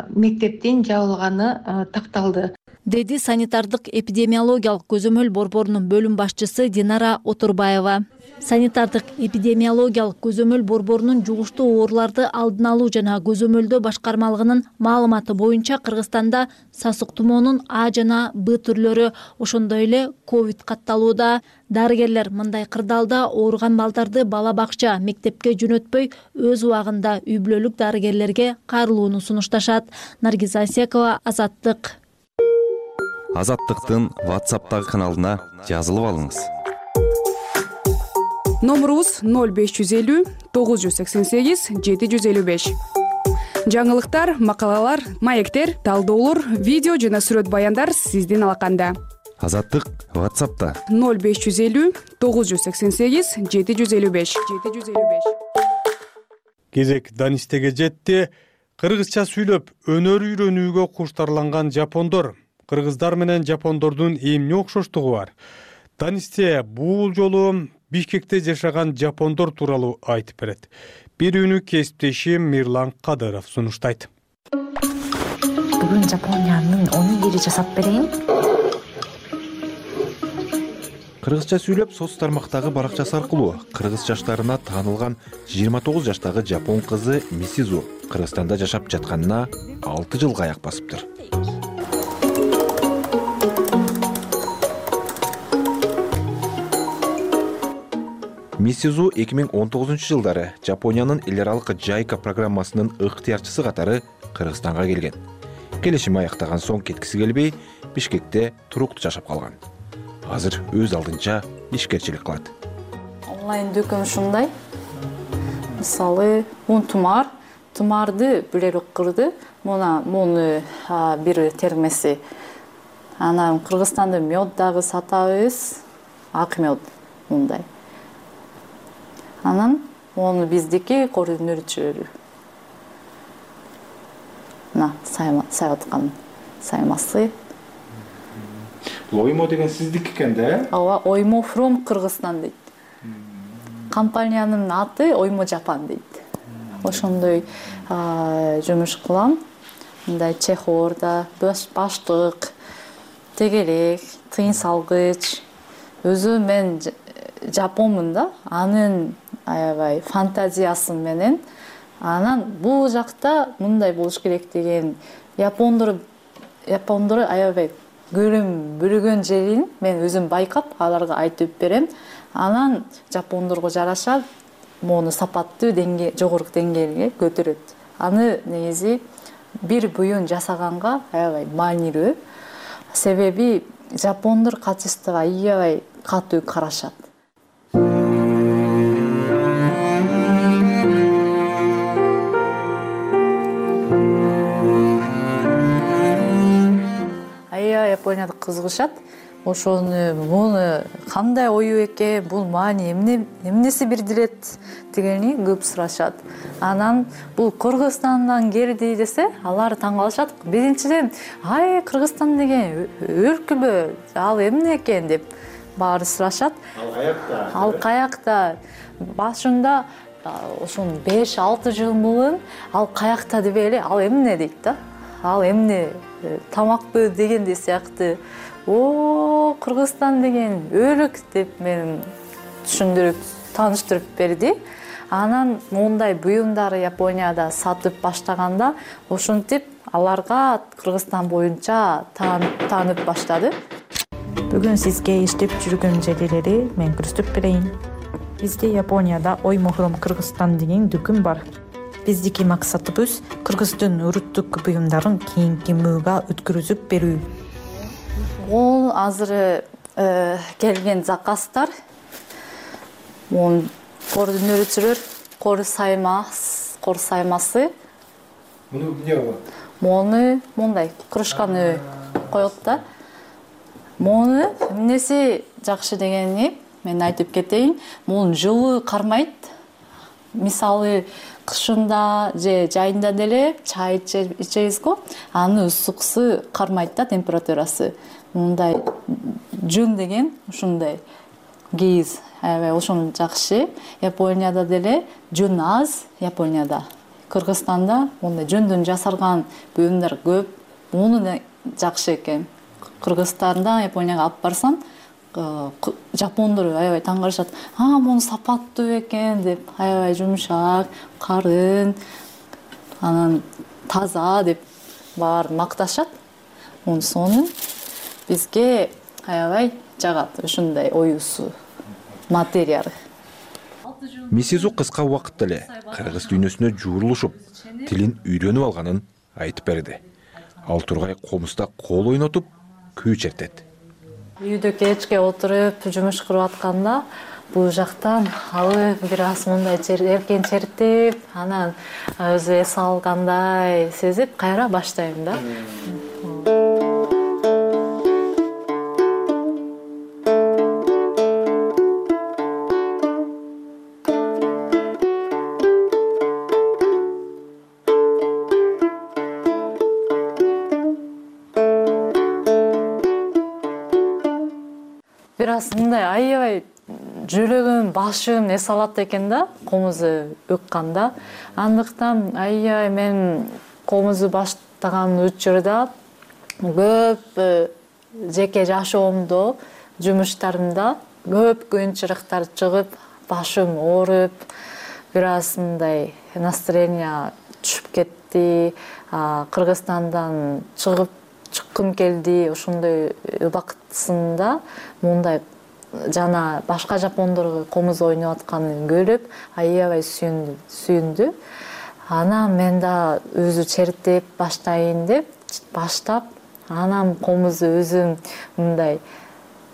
мектептин жабылганы такталды, деди санитардык эпидемиологиялык көзөмөл борборунун бөлүм башчысы Динара Отурбаева. Санитардык эпидемиологиялык көзөмөл борборунун жугуштуу ооруларды алдын алуу жана көзөмөлдөө башкармалыгынын маалыматы боюнча Кыргызстанда сасык тумоонун А жана Б түрлөрү, ошондой эле ковид катталууда. Дарыгерлер мындай кырдаалда ооруган балдарды бала бакча, мектепке жөнөтпөй, өз убагында үй бүлөлүк дарыгерлерге кайрылууну сунушташат. Наргиз Асекова, Азаттык. Азаттыктын WhatsApp'тагы каналына жазылып алыңыз. Номерубуз ноль беш жүз элүү тогуз жүз сексен сегиз жети жүз элүү беш. Жаңылыктар, макалалар, маектер, талдоолор, видео жана сүрөт баяндар сиздин алаканда. Азаттык WhatsApp'та ноль беш жүз элүү тогуз жүз сексен сегиз жети жүз элүү беш. Кезек Данистеге жетти. Кыргызча сүйлөп өнөр үйрөнүүгө куштарланган жапондор. Кыргыздар менен жапондордун эмне окшоштугу бар? Данисте бул жолу Бишкекте жашаган жапондор тууралуу айтып берет. Бирүүнү кесиптешим Мирлан Кадыров сунуштайт. Бүгүн Жапониянын онигири жасап берейин. Кыргызча сүйлөп соц тармактагы баракчасы аркылуу кыргыз жаштарына таанылган жыйырма тогуз жаштагы жапон кызы Мисизу Кыргызстанда жашап жатканына алты жылга аяк басыптыр. Мисизу эки миң он тогузунчу жылдары Жапониянын эл аралык Жайка программасынын ыктыярчысы катары Кыргызстанга келген. Келишим аяктаган соң кеткиси келбей, Бишкекте туруктуу жашап калган. Азыр өз алдынча ишкерчилик кылат. Онлайн дүкөн ушундай. Мисалы, мун тумар, тумарды билер уккырды. Муна муну бир термеси. Анан Кыргызстанда мёд дагы сатабыз. Ак мёд мындай. Анан onu биздики координатörү. На, сайма, сайгаткан саймасы. Оймо деген сиздики экен да? Ооба, Оймо from Кыргызстан дейт. Компаниянын аты Оймо Жапан дейт. Ошондой жумуш кылам. Мындай чехорда, баштык, тегерек, тыйын салгыч. Өзү мен жапонмун да, анын аябай фантазиясы менен анан бул жакта мындай болуш керек деген япондор япондор аябай көрүм бүргөн жерин мен өзүм байкап аларга айтып берем. Анан жапондорго жараша мону сапаттуу деңгээлге, жогорку деңгээлге көтөрөт. Аны негизи бир буюн жасаганга аябай маанилүү. Себеби жапондор качествого аябай катуу карашат. Японияда кызыгышат. Ошону муну кандай ою экен, бул маани эмне эмнеси бирдирет дегени көп сурашат. Анан бул Кыргызстандан келди десе, алар таң калышат. Биринчиден, ай Кыргызстан деген өлкөбү, ал эмне экен деп баары сурашат. Ал каякта? Ал каякта? Башында ошон беш алты жыл мурун ал каякта деп эле, ал эмне дейт да. ал эмне тамакпы дегендей сыяктуу. О, Кыргызстан деген өлүк деп мен түшүндүрүп, тааныштырып берди. Анан мондай буюмдарды Японияда сатып баштаганда ошентип аларга Кыргызстан боюнча таанып баштады. Бүгүн сизге иштеп жүргөн жерелери мен көрсөтүп берейин. Бизде Японияда Ой Мохром Кыргызстан деген дүкүн бар. Биздики максатыбыз Кыргыздын уруттук буюмдарын кийинки мууга өткөрүзүп берүү. Бул азыр келген заказдар. Мон координатор, кор саймас, кор саймасы. Муну эмне кылат? Мону мондай кружканы коет да. Мону эмнеси жакшы дегени мен айтып кетейин. Мун жылуу кармайт. Мисалы кышында же жайында деле чай ичебиз го, аны ысыксы кармайт да, температурасы. Мындай жүн деген ушундай кийиз, аябай ошон жакшы. Японияда деле жүн аз, Японияда. Кыргызстанда мондай жүндөн жасалган буюмдар көп. Муну жакшы экен. Кыргызстанда Японияга алып барсаң, жапондор аябай таң калышат. А, муну сапаттуу экен деп, аябай жумшак, карын, анан таза деп баары макташат. Сонун бизге аябай жагат ушундай оюусу материал. Мисизу кыска убакытта эле кыргыз дүйнөсүнө жуурулушуп, тилин үйрөнүп алганын айтып берди. Ал тургай комузда кол ойнотуп, күү чертет. Үйдө кечке отуруп, жумуш кылып атканда, бул жактан алып бир аз мындай эркен чертип, анан өзү эс алгандай сезип, кайра баштайм да. Бир аз мындай аябай жүрөгүм, башым эс алат экен да, комузу ыкканда. Андыктан аябай мен комузу баштаган учурда көп жеке жашоомдо, жумуштарымда көп кыйынчылыктар чыгып, башым ооруп, бир аз мындай настроение түшүп кетти. Кыргызстандан чыгып чыккым келди. Ошондой убактысында мындай жана башка жапондорго комуз ойноп атканын көрүп, аябай сүйүндү. Анан мен да өзү чертип баштайын деп баштап, анан комузу өзүм мындай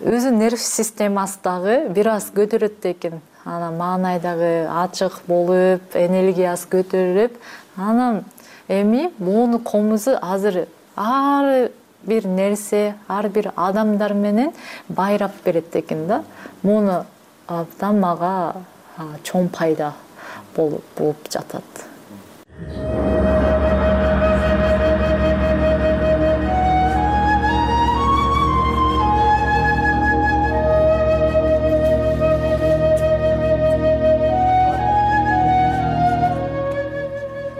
өзү нерв системасы дагы бир аз көтөрөт экен. Анан маанай дагы ачык болуп, энергиясы көтөрүлүп, анан эми муну комузу азыр ар бир нерсе, ар бир адамдар менен байрап берет экен да. Муну абдан мага чоң пайда болуп жатат.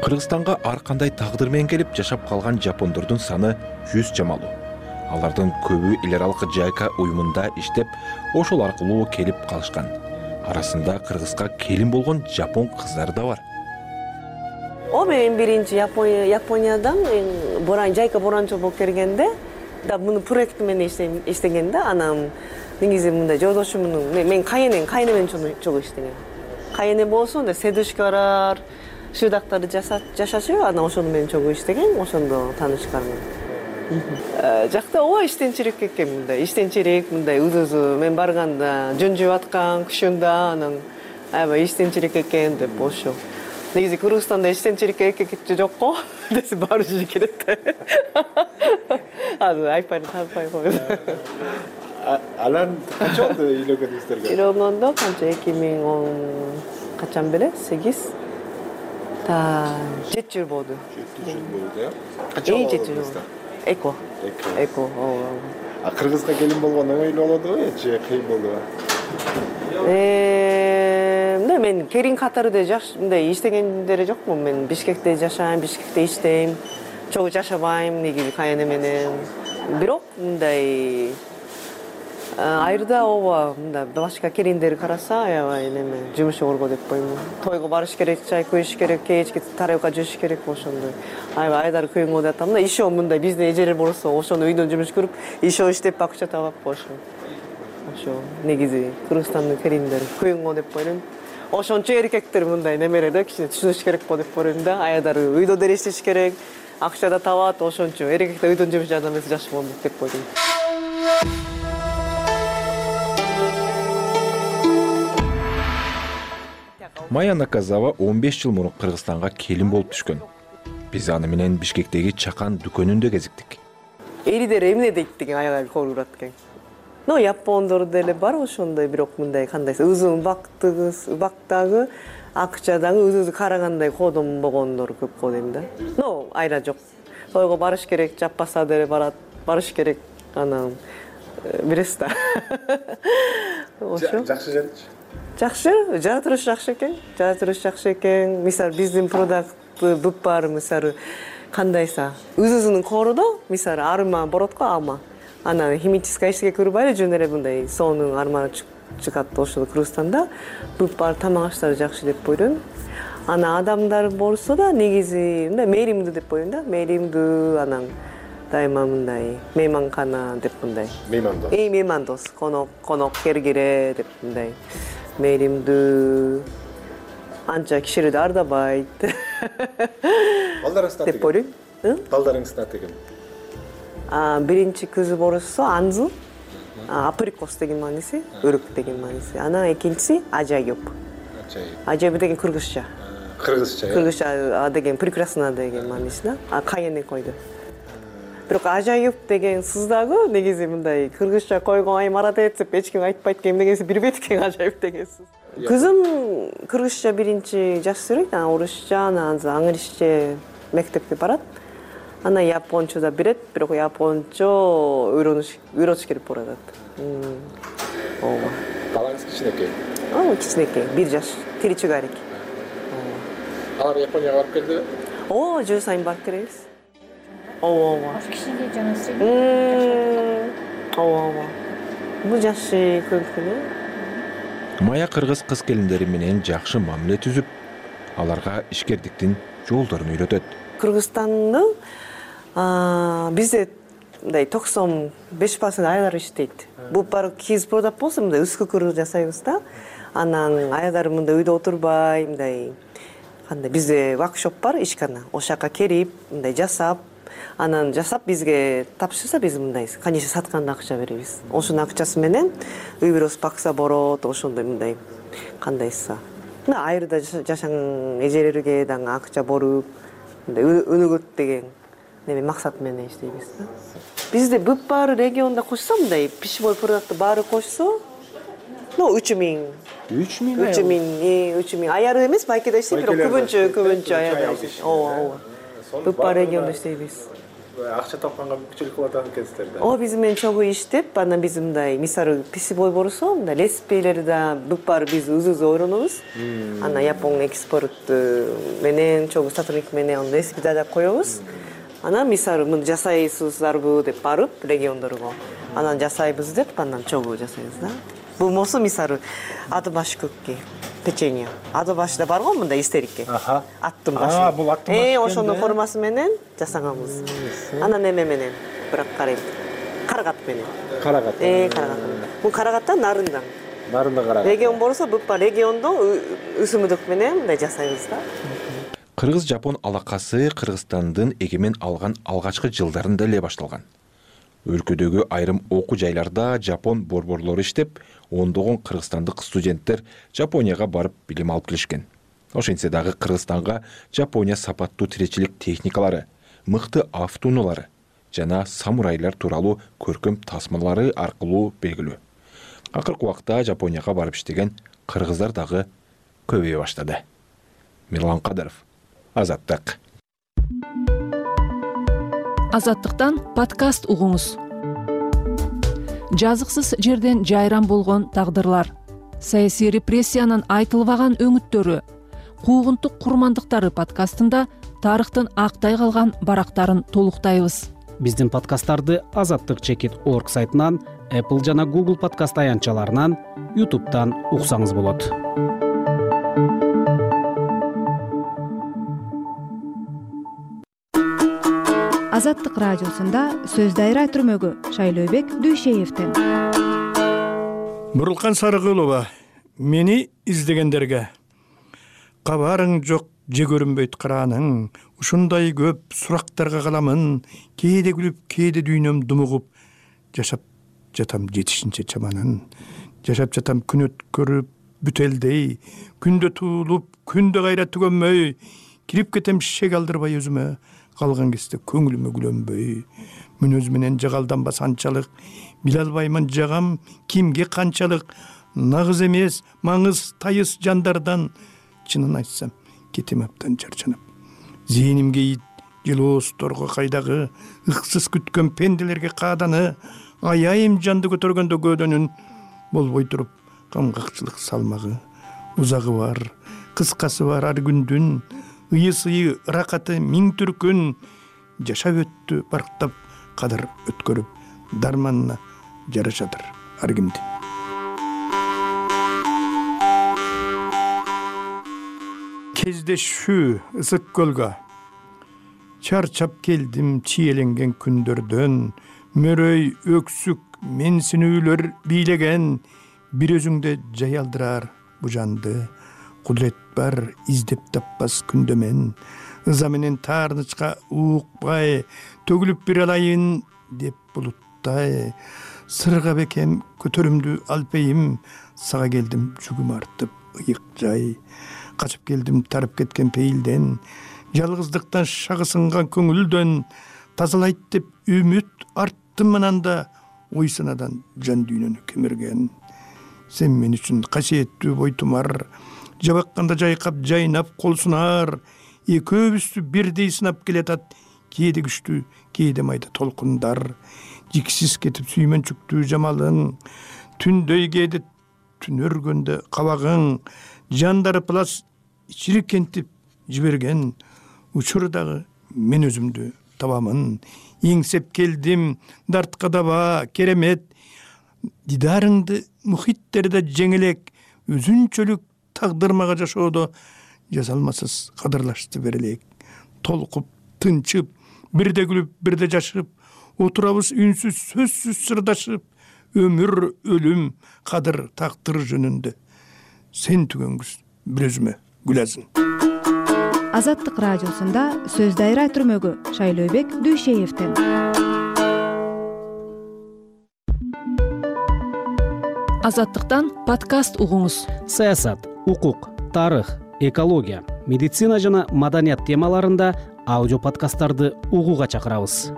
Кыргызстанга ар кандай тагдыр менен келип жашап калган жапондордун саны жүз чамалуу. Алардын көбү эл аралык жайка уюмунда иштеп, ошол аркылуу келип калышкан. Арасында Кыргызга келин болгон жапон кыздары да бар. О, мен биринчи Япония, Япониядан боран жайка боранчы болуп келгенде, да муну проекти менен иштегенде, анан негизи мындай жолдошумдун, мен кайенем, кайене менен чогуу иштеген. Кайене болсо, седушкалар, шыдактарды жашачу, анан ошону менен чогуу иштеген, ошондо таанышканмын. Жакта ооба иштенчилик экен, мындай иштенчилик, мындай узузу мен барганда жөн жеп аткан, күшүндө анан аябай иштенчилик экен деп ошо. Негизи Кыргызстанда иштенчилик эркекте жок го, десе баары жүзү келет. Азыр айтпай таппай койду. Алан качан болду үйлөнгөнүңүздөргө? Үйлөнгөндө канча эки миң он качан беле? сегиз та жети жыл болду. жети жыл болду, э? Качан болду? Эко. Эко. А Кыргызга келин болгон оңойлуу болду го, же кыйын болду? Э, мен келин катары да жаш, мындай иштегендери жокмун. Мен Бишкекте жашайм, Бишкекте иштейм. чогуу жашабайм негизи каяне менен. Бирок мындай айрда ооба мындай башка келиндер караса аябай неме жумуш орго деп коймун. Тойго барыш керек, чай коюш керек, кечки тарелка жууш керек ошондой. Аябай айдар көйгөй деп атам да. Ишөө мындай биздин эжелер болсо ошону үйдөн жумуш көрүп, ишөө иштеп акча табап ошо. Ошо негизи Кыргызстандын келиндери көйгөй деп ойлойм. Ошончо эркектер мындай немелер да кичине түшүнүш керек го деп ойлойм да. Айдар үйдө деле иштеш керек, акча да табат, ошончо эркектер үйдөн жумуш жардам берсе жакшы болот деп ойлойм. Майя Наказава он беш жыл мурун Кыргызстанга келин болуп түшкөн. Биз аны менен Бишкектеги чакан дүкөнүндө кезиктик. Эридер эмне дейт деген аябай корурат экен. Но япондор деле бар ошондой, бирок мындай кандайсы өзүң убактыгыз, убактагы акчадагы өзү карагандай кодом болгондор көп го дейм да. Но айра жок. Тойго барыш керек, жаппаса деле барат, барыш керек. Анан билесиз да. Ошо. Жакшы жерчи. Жакшы, жара туруш жакшы экен. Жара туруш жакшы экен. Мисалы биздин продукт бүп бар, мисалы кандайса өзүнүн корудо, мисалы арма боротко алма. Анан химический эчтеке көрбөй эле жөн эле мындай сонун арманы чыгат ошол Кыргызстанда. Бүп бар тамак аштары жакшы деп ойлойм. Ана адамдар болсо да негизи мындай мээримдүү деп ойлойм да. Мээримдүү, анан дайыма мындай мейманкана деп мындай. Меймандос. Эй, меймандос, конок, конок кергире деп мындай. Мээримдүү, анча кишиlerди ардабайт. Балдарыңыз деп ойлойм. Балдарыңыздын аты ким? А биринчи кызы болсо Анзу, априкос деген мааниси, өрүк деген мааниси. Анан экинчиси Ажайып. Ажайып. Ажайып деген кыргызча. Кыргызча. Кыргызча деген прекрасно деген мааниси да. А кайыны койду. Бирок Ажайып деген сыз дагы негизи мындай кыргызча койгон ай марат этип эч ким айтпайт экен дегенси билбейт экен Ажайып деген сыз. Кызым кыргызча биринчи жаш сүрөйт, анан орусча, анан англисче мектепке барат. Анан япончо да билет, бирок япончо үйрөнүш үйрөтүш керек болуп атат. Ооба. Балаңыз кичинекей? Ооба, кичинекей, бир жаш, тиричигарик. Алар Японияга барып келдиби? Ооба, жыл сайын барып келебиз. Ооба, ооба. Аш кичине жана средний. Ооба, ооба. Бул жашы көпкүнө. Майя кыргыз кыз келиндери менен жакшы мамиле түзүп, аларга ишкердиктин жолдорун үйрөтөт. Кыргызстанда бизде мындай токсон беш процент айдар иштейт. Бул бар кийиз продап болсо мындай үскүкүр жасайбыз да. Анан айдар мындай үйдө отурбай, мындай кандай бизде воркшоп бар, ишкана. Ошол жака келип, мындай жасап, анан жасап бизге тапшырса биз мындай конечно сатканда акча беребиз. Ошонун акчасы менен үй бүлөбүз бакса болот, ошондой мындай кандайса. Мына айрда жашаган эжелерге дагы акча берип, мындай өнөгөт деген неме максат менен иштейбиз да. Бизде бүп баары региондо кошсо мындай пищевой продукты баары кошсо, ну үч миң. үч миң? үч миң, үч миң. Аяры эмес, байкеде иштейт, бирок көбүнчө, көбүнчө аярда иштейт. Ооба, ооба. Бүп баары региондо иштейбиз. Акча тапканга мүмкүнчүлүк кылып атат экенсиздер да. Ооба, биз менен чогуу иштеп, анан биз мындай мисалы пищевой болсо, мындай леспейлер да бүп баары биз өзүбүз ойронобуз. Анан Япон экспорт менен чогуу сотрудник менен аны леспеди да коебуз. Анан мисалы муну жасайсыздарбы деп барып региондорго. Анан жасайбыз деп, анан чогуу жасайбыз да. Бул болсо мисалы аты баш көккө печенье. Аты башда бар го мындай истерикке. Аха. Аттын башы. А, бул аттын башы. Э, ошонун формасы менен жасаганбыз. Анан эме менен, бирок карайм. Карагат менен. Карагат. Э, карагат менен. Бул карагаттан нарындан. Нарында карагат. Регион болсо бүп бар региондо өсүмдүк менен мындай жасайбыз да. Кыргыз-Жапон алакасы Кыргызстандын эгемен алган алгачкы жылдарында эле башталган. Өлкөдөгү айрым окуу жайларда жапон борборлору иштеп, ондогон кыргызстандык студенттер Жапонияга барып билим алып келишкен. Ошентсе дагы Кыргызстанга Жапония сапаттуу тиречилик техникалары, мыкты автоунаалары жана самурайлар тууралуу көркөм тасмалары аркылуу белгилүү. Акыркы убакта Жапонияга барып иштеген кыргыздар дагы көбөйө баштады. Мирлан Кадыров, Азаттык. Азаттыктан подкаст угуңуз. Жазыксыз жерден жайран болгон тагдырлар, саясий репрессиянын айтылбаган өңүттөрү, куугунтук курмандыктары подкастында тарыхтын актай калган барактарын толуктайбыз. Биздин подкасттарды азаттык чекит орг сайтынан, Apple жана Google подкаст аянтчаларынан, YouTube'дан уксаңыз болот. Азаттык радиосунда сөз дайра түрмөгү Шайлообек Дүйшеевден. Бурулкан Сарыгулова, мени издегендерге кабарың жок, же көрүнбөйт карааның, ушундай көп сурактарга каламын, кээде күлүп, кээде дүйнөм думугуп, жашап жатам жетишинче чаманын, жашап жатам күн өткөрүп бүтелдей, күндө туулуп, күндө кайра түгөнмөй, кирип кетем шек алдырбай өзүмө, калган кезде көңүлүмө күлөнбөй, мүнөз менен жагалданбас анчалык, биле албаймын жагам кимге канчалык, нагыз эмес, маңыз тайыс жандардан, чынын айтсам, кетем аптан чарчанып. Зээнимге ит, жылоосторго кайдагы, ыксыз күткөн пенделерге кааданы, аяйым жанды көтөргөндө көөдөнүн, болбой туруп, камгакчылык салмагы, узагы бар, кыскасы бар ар күндүн, ыйы-сыйы, ракаты миң түркүн, жашап өттү барктап, кадыр өткөрүп, дарманына жарашадыр ар кимди. Кездешүү ысык көлгө, чарчап келдим чиеленген күндөрдөн, мөрөй, өксүк, менсинүүлөр бийлеген, бир өзүңдө жай алдырар бу жанды, кудурет бар издеп таппас күндөмен, ыза менен таарнычка уукпай, төгүлүп бир алайын деп булуттай, сырга бекем көтөрүмдү алпейим, сага келдим жүгүм артып ыйык жай, качып келдим тарып кеткен пейилден, жалгыздыктан шагы сынган көңүлдөн, тазалайт деп үмүт арттым ананда, ой санадан жан дүйнөнү кемирген. Сен мен үчүн касиеттүү бойтумар, жабакканда жайкап жайнап кол сунар, экөөбүздү бирдей сынап келатат, кээде күчтүү, кээде майда толкундар, жиксиз кетип сүймөнчүктүү жамалың, түндөй кээде түн өргөндө кабагың, жандары плас чирикентип жиберген, учурдагы мен өзүмдү табамын, эңсеп келдим, дартка даба, керемет, дидарыңды мухиттерде жеңелек, өзүнчөлүк тагдырмага жашоодо жазалмасыз кадырлашты берелек, толкуп, тынчып, бирде күлүп, бирде жашып, отурабыз үнсүз, сөзсүз сырдашып, өмүр, өлүм, кадыр, тактыр жөнүндө. Сен түгөнгүз бир өзүмө гүлазын. Азаттык радиосунда сөз дайра түрмөгү Шайлообек Дүйшеевден. Азаттыктан подкаст угуңуз. Саясат, укук, тарых, экология, медицина жана маданият темаларында аудио подкасттарды угууга чакырабыз.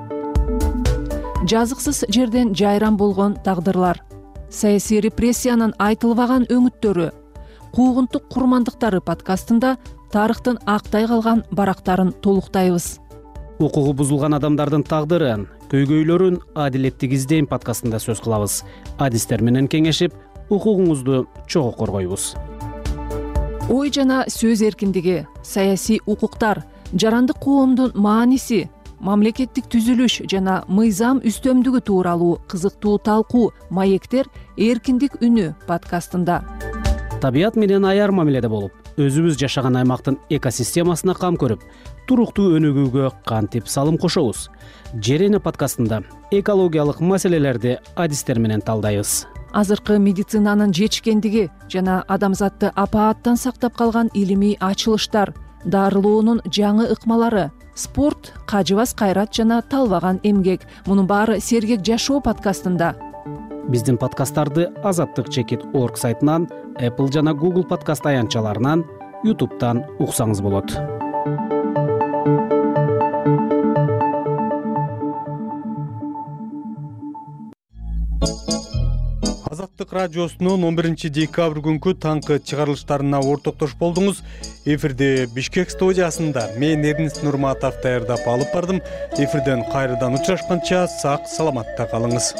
Жазыксыз жерден жайран болгон тагдырлар, саясий репрессиянын айтылбаган өңүттөрү, куугунтук курмандыктары подкастында тарыхтын актай калган барактарын толуктайбыз. Укугу бузулган адамдардын тагдырын, көйгөйлөрүн адилеттик издейм подкастында сөз кылабыз. Адистер менен кеңешип, укугуңузду чогуу коргойбуз. Ой жана сөз эркиндиги, саясий укуктар, жарандык коомдун мааниси, мамлекеттик түзүлүш жана мыйзам үстөмдүгү тууралуу кызыктуу талкуу маектер эркиндик үнү подкастында. Табият менен аяр мамиледе болуп, өзүбүз жашаган аймактын экосистемасына кам көрүп, туруктуу өнүгүүгө кантип салым кошобуз. Жер эне подкастында экологиялык маселелерди адистер менен талдайбыз. Азыркы медицинанын жетишкендиги жана адамзатты апааттан сактап калган илимий ачылыштар, дарылоонун жаңы ыкмалары, спорт, кажыбас кайрат жана талбаган эмгек. Мунун баары сергек жашоо подкастында. Биздин подкасттарды азаттык чекит орг сайтынан, Apple жана Google подкаст аянтчаларынан, YouTube'дан уксаңыз болот. Азаттык радиосунун он биринчи декабрь күнкү таңкы чыгарылыштарына ортоктош болдуңуз. Эфирде Бишкек студиясында мен Эрнест Нурматов даярдап алып бардым. Эфирден кайрадан учурашканча сак саламатта калыңыз.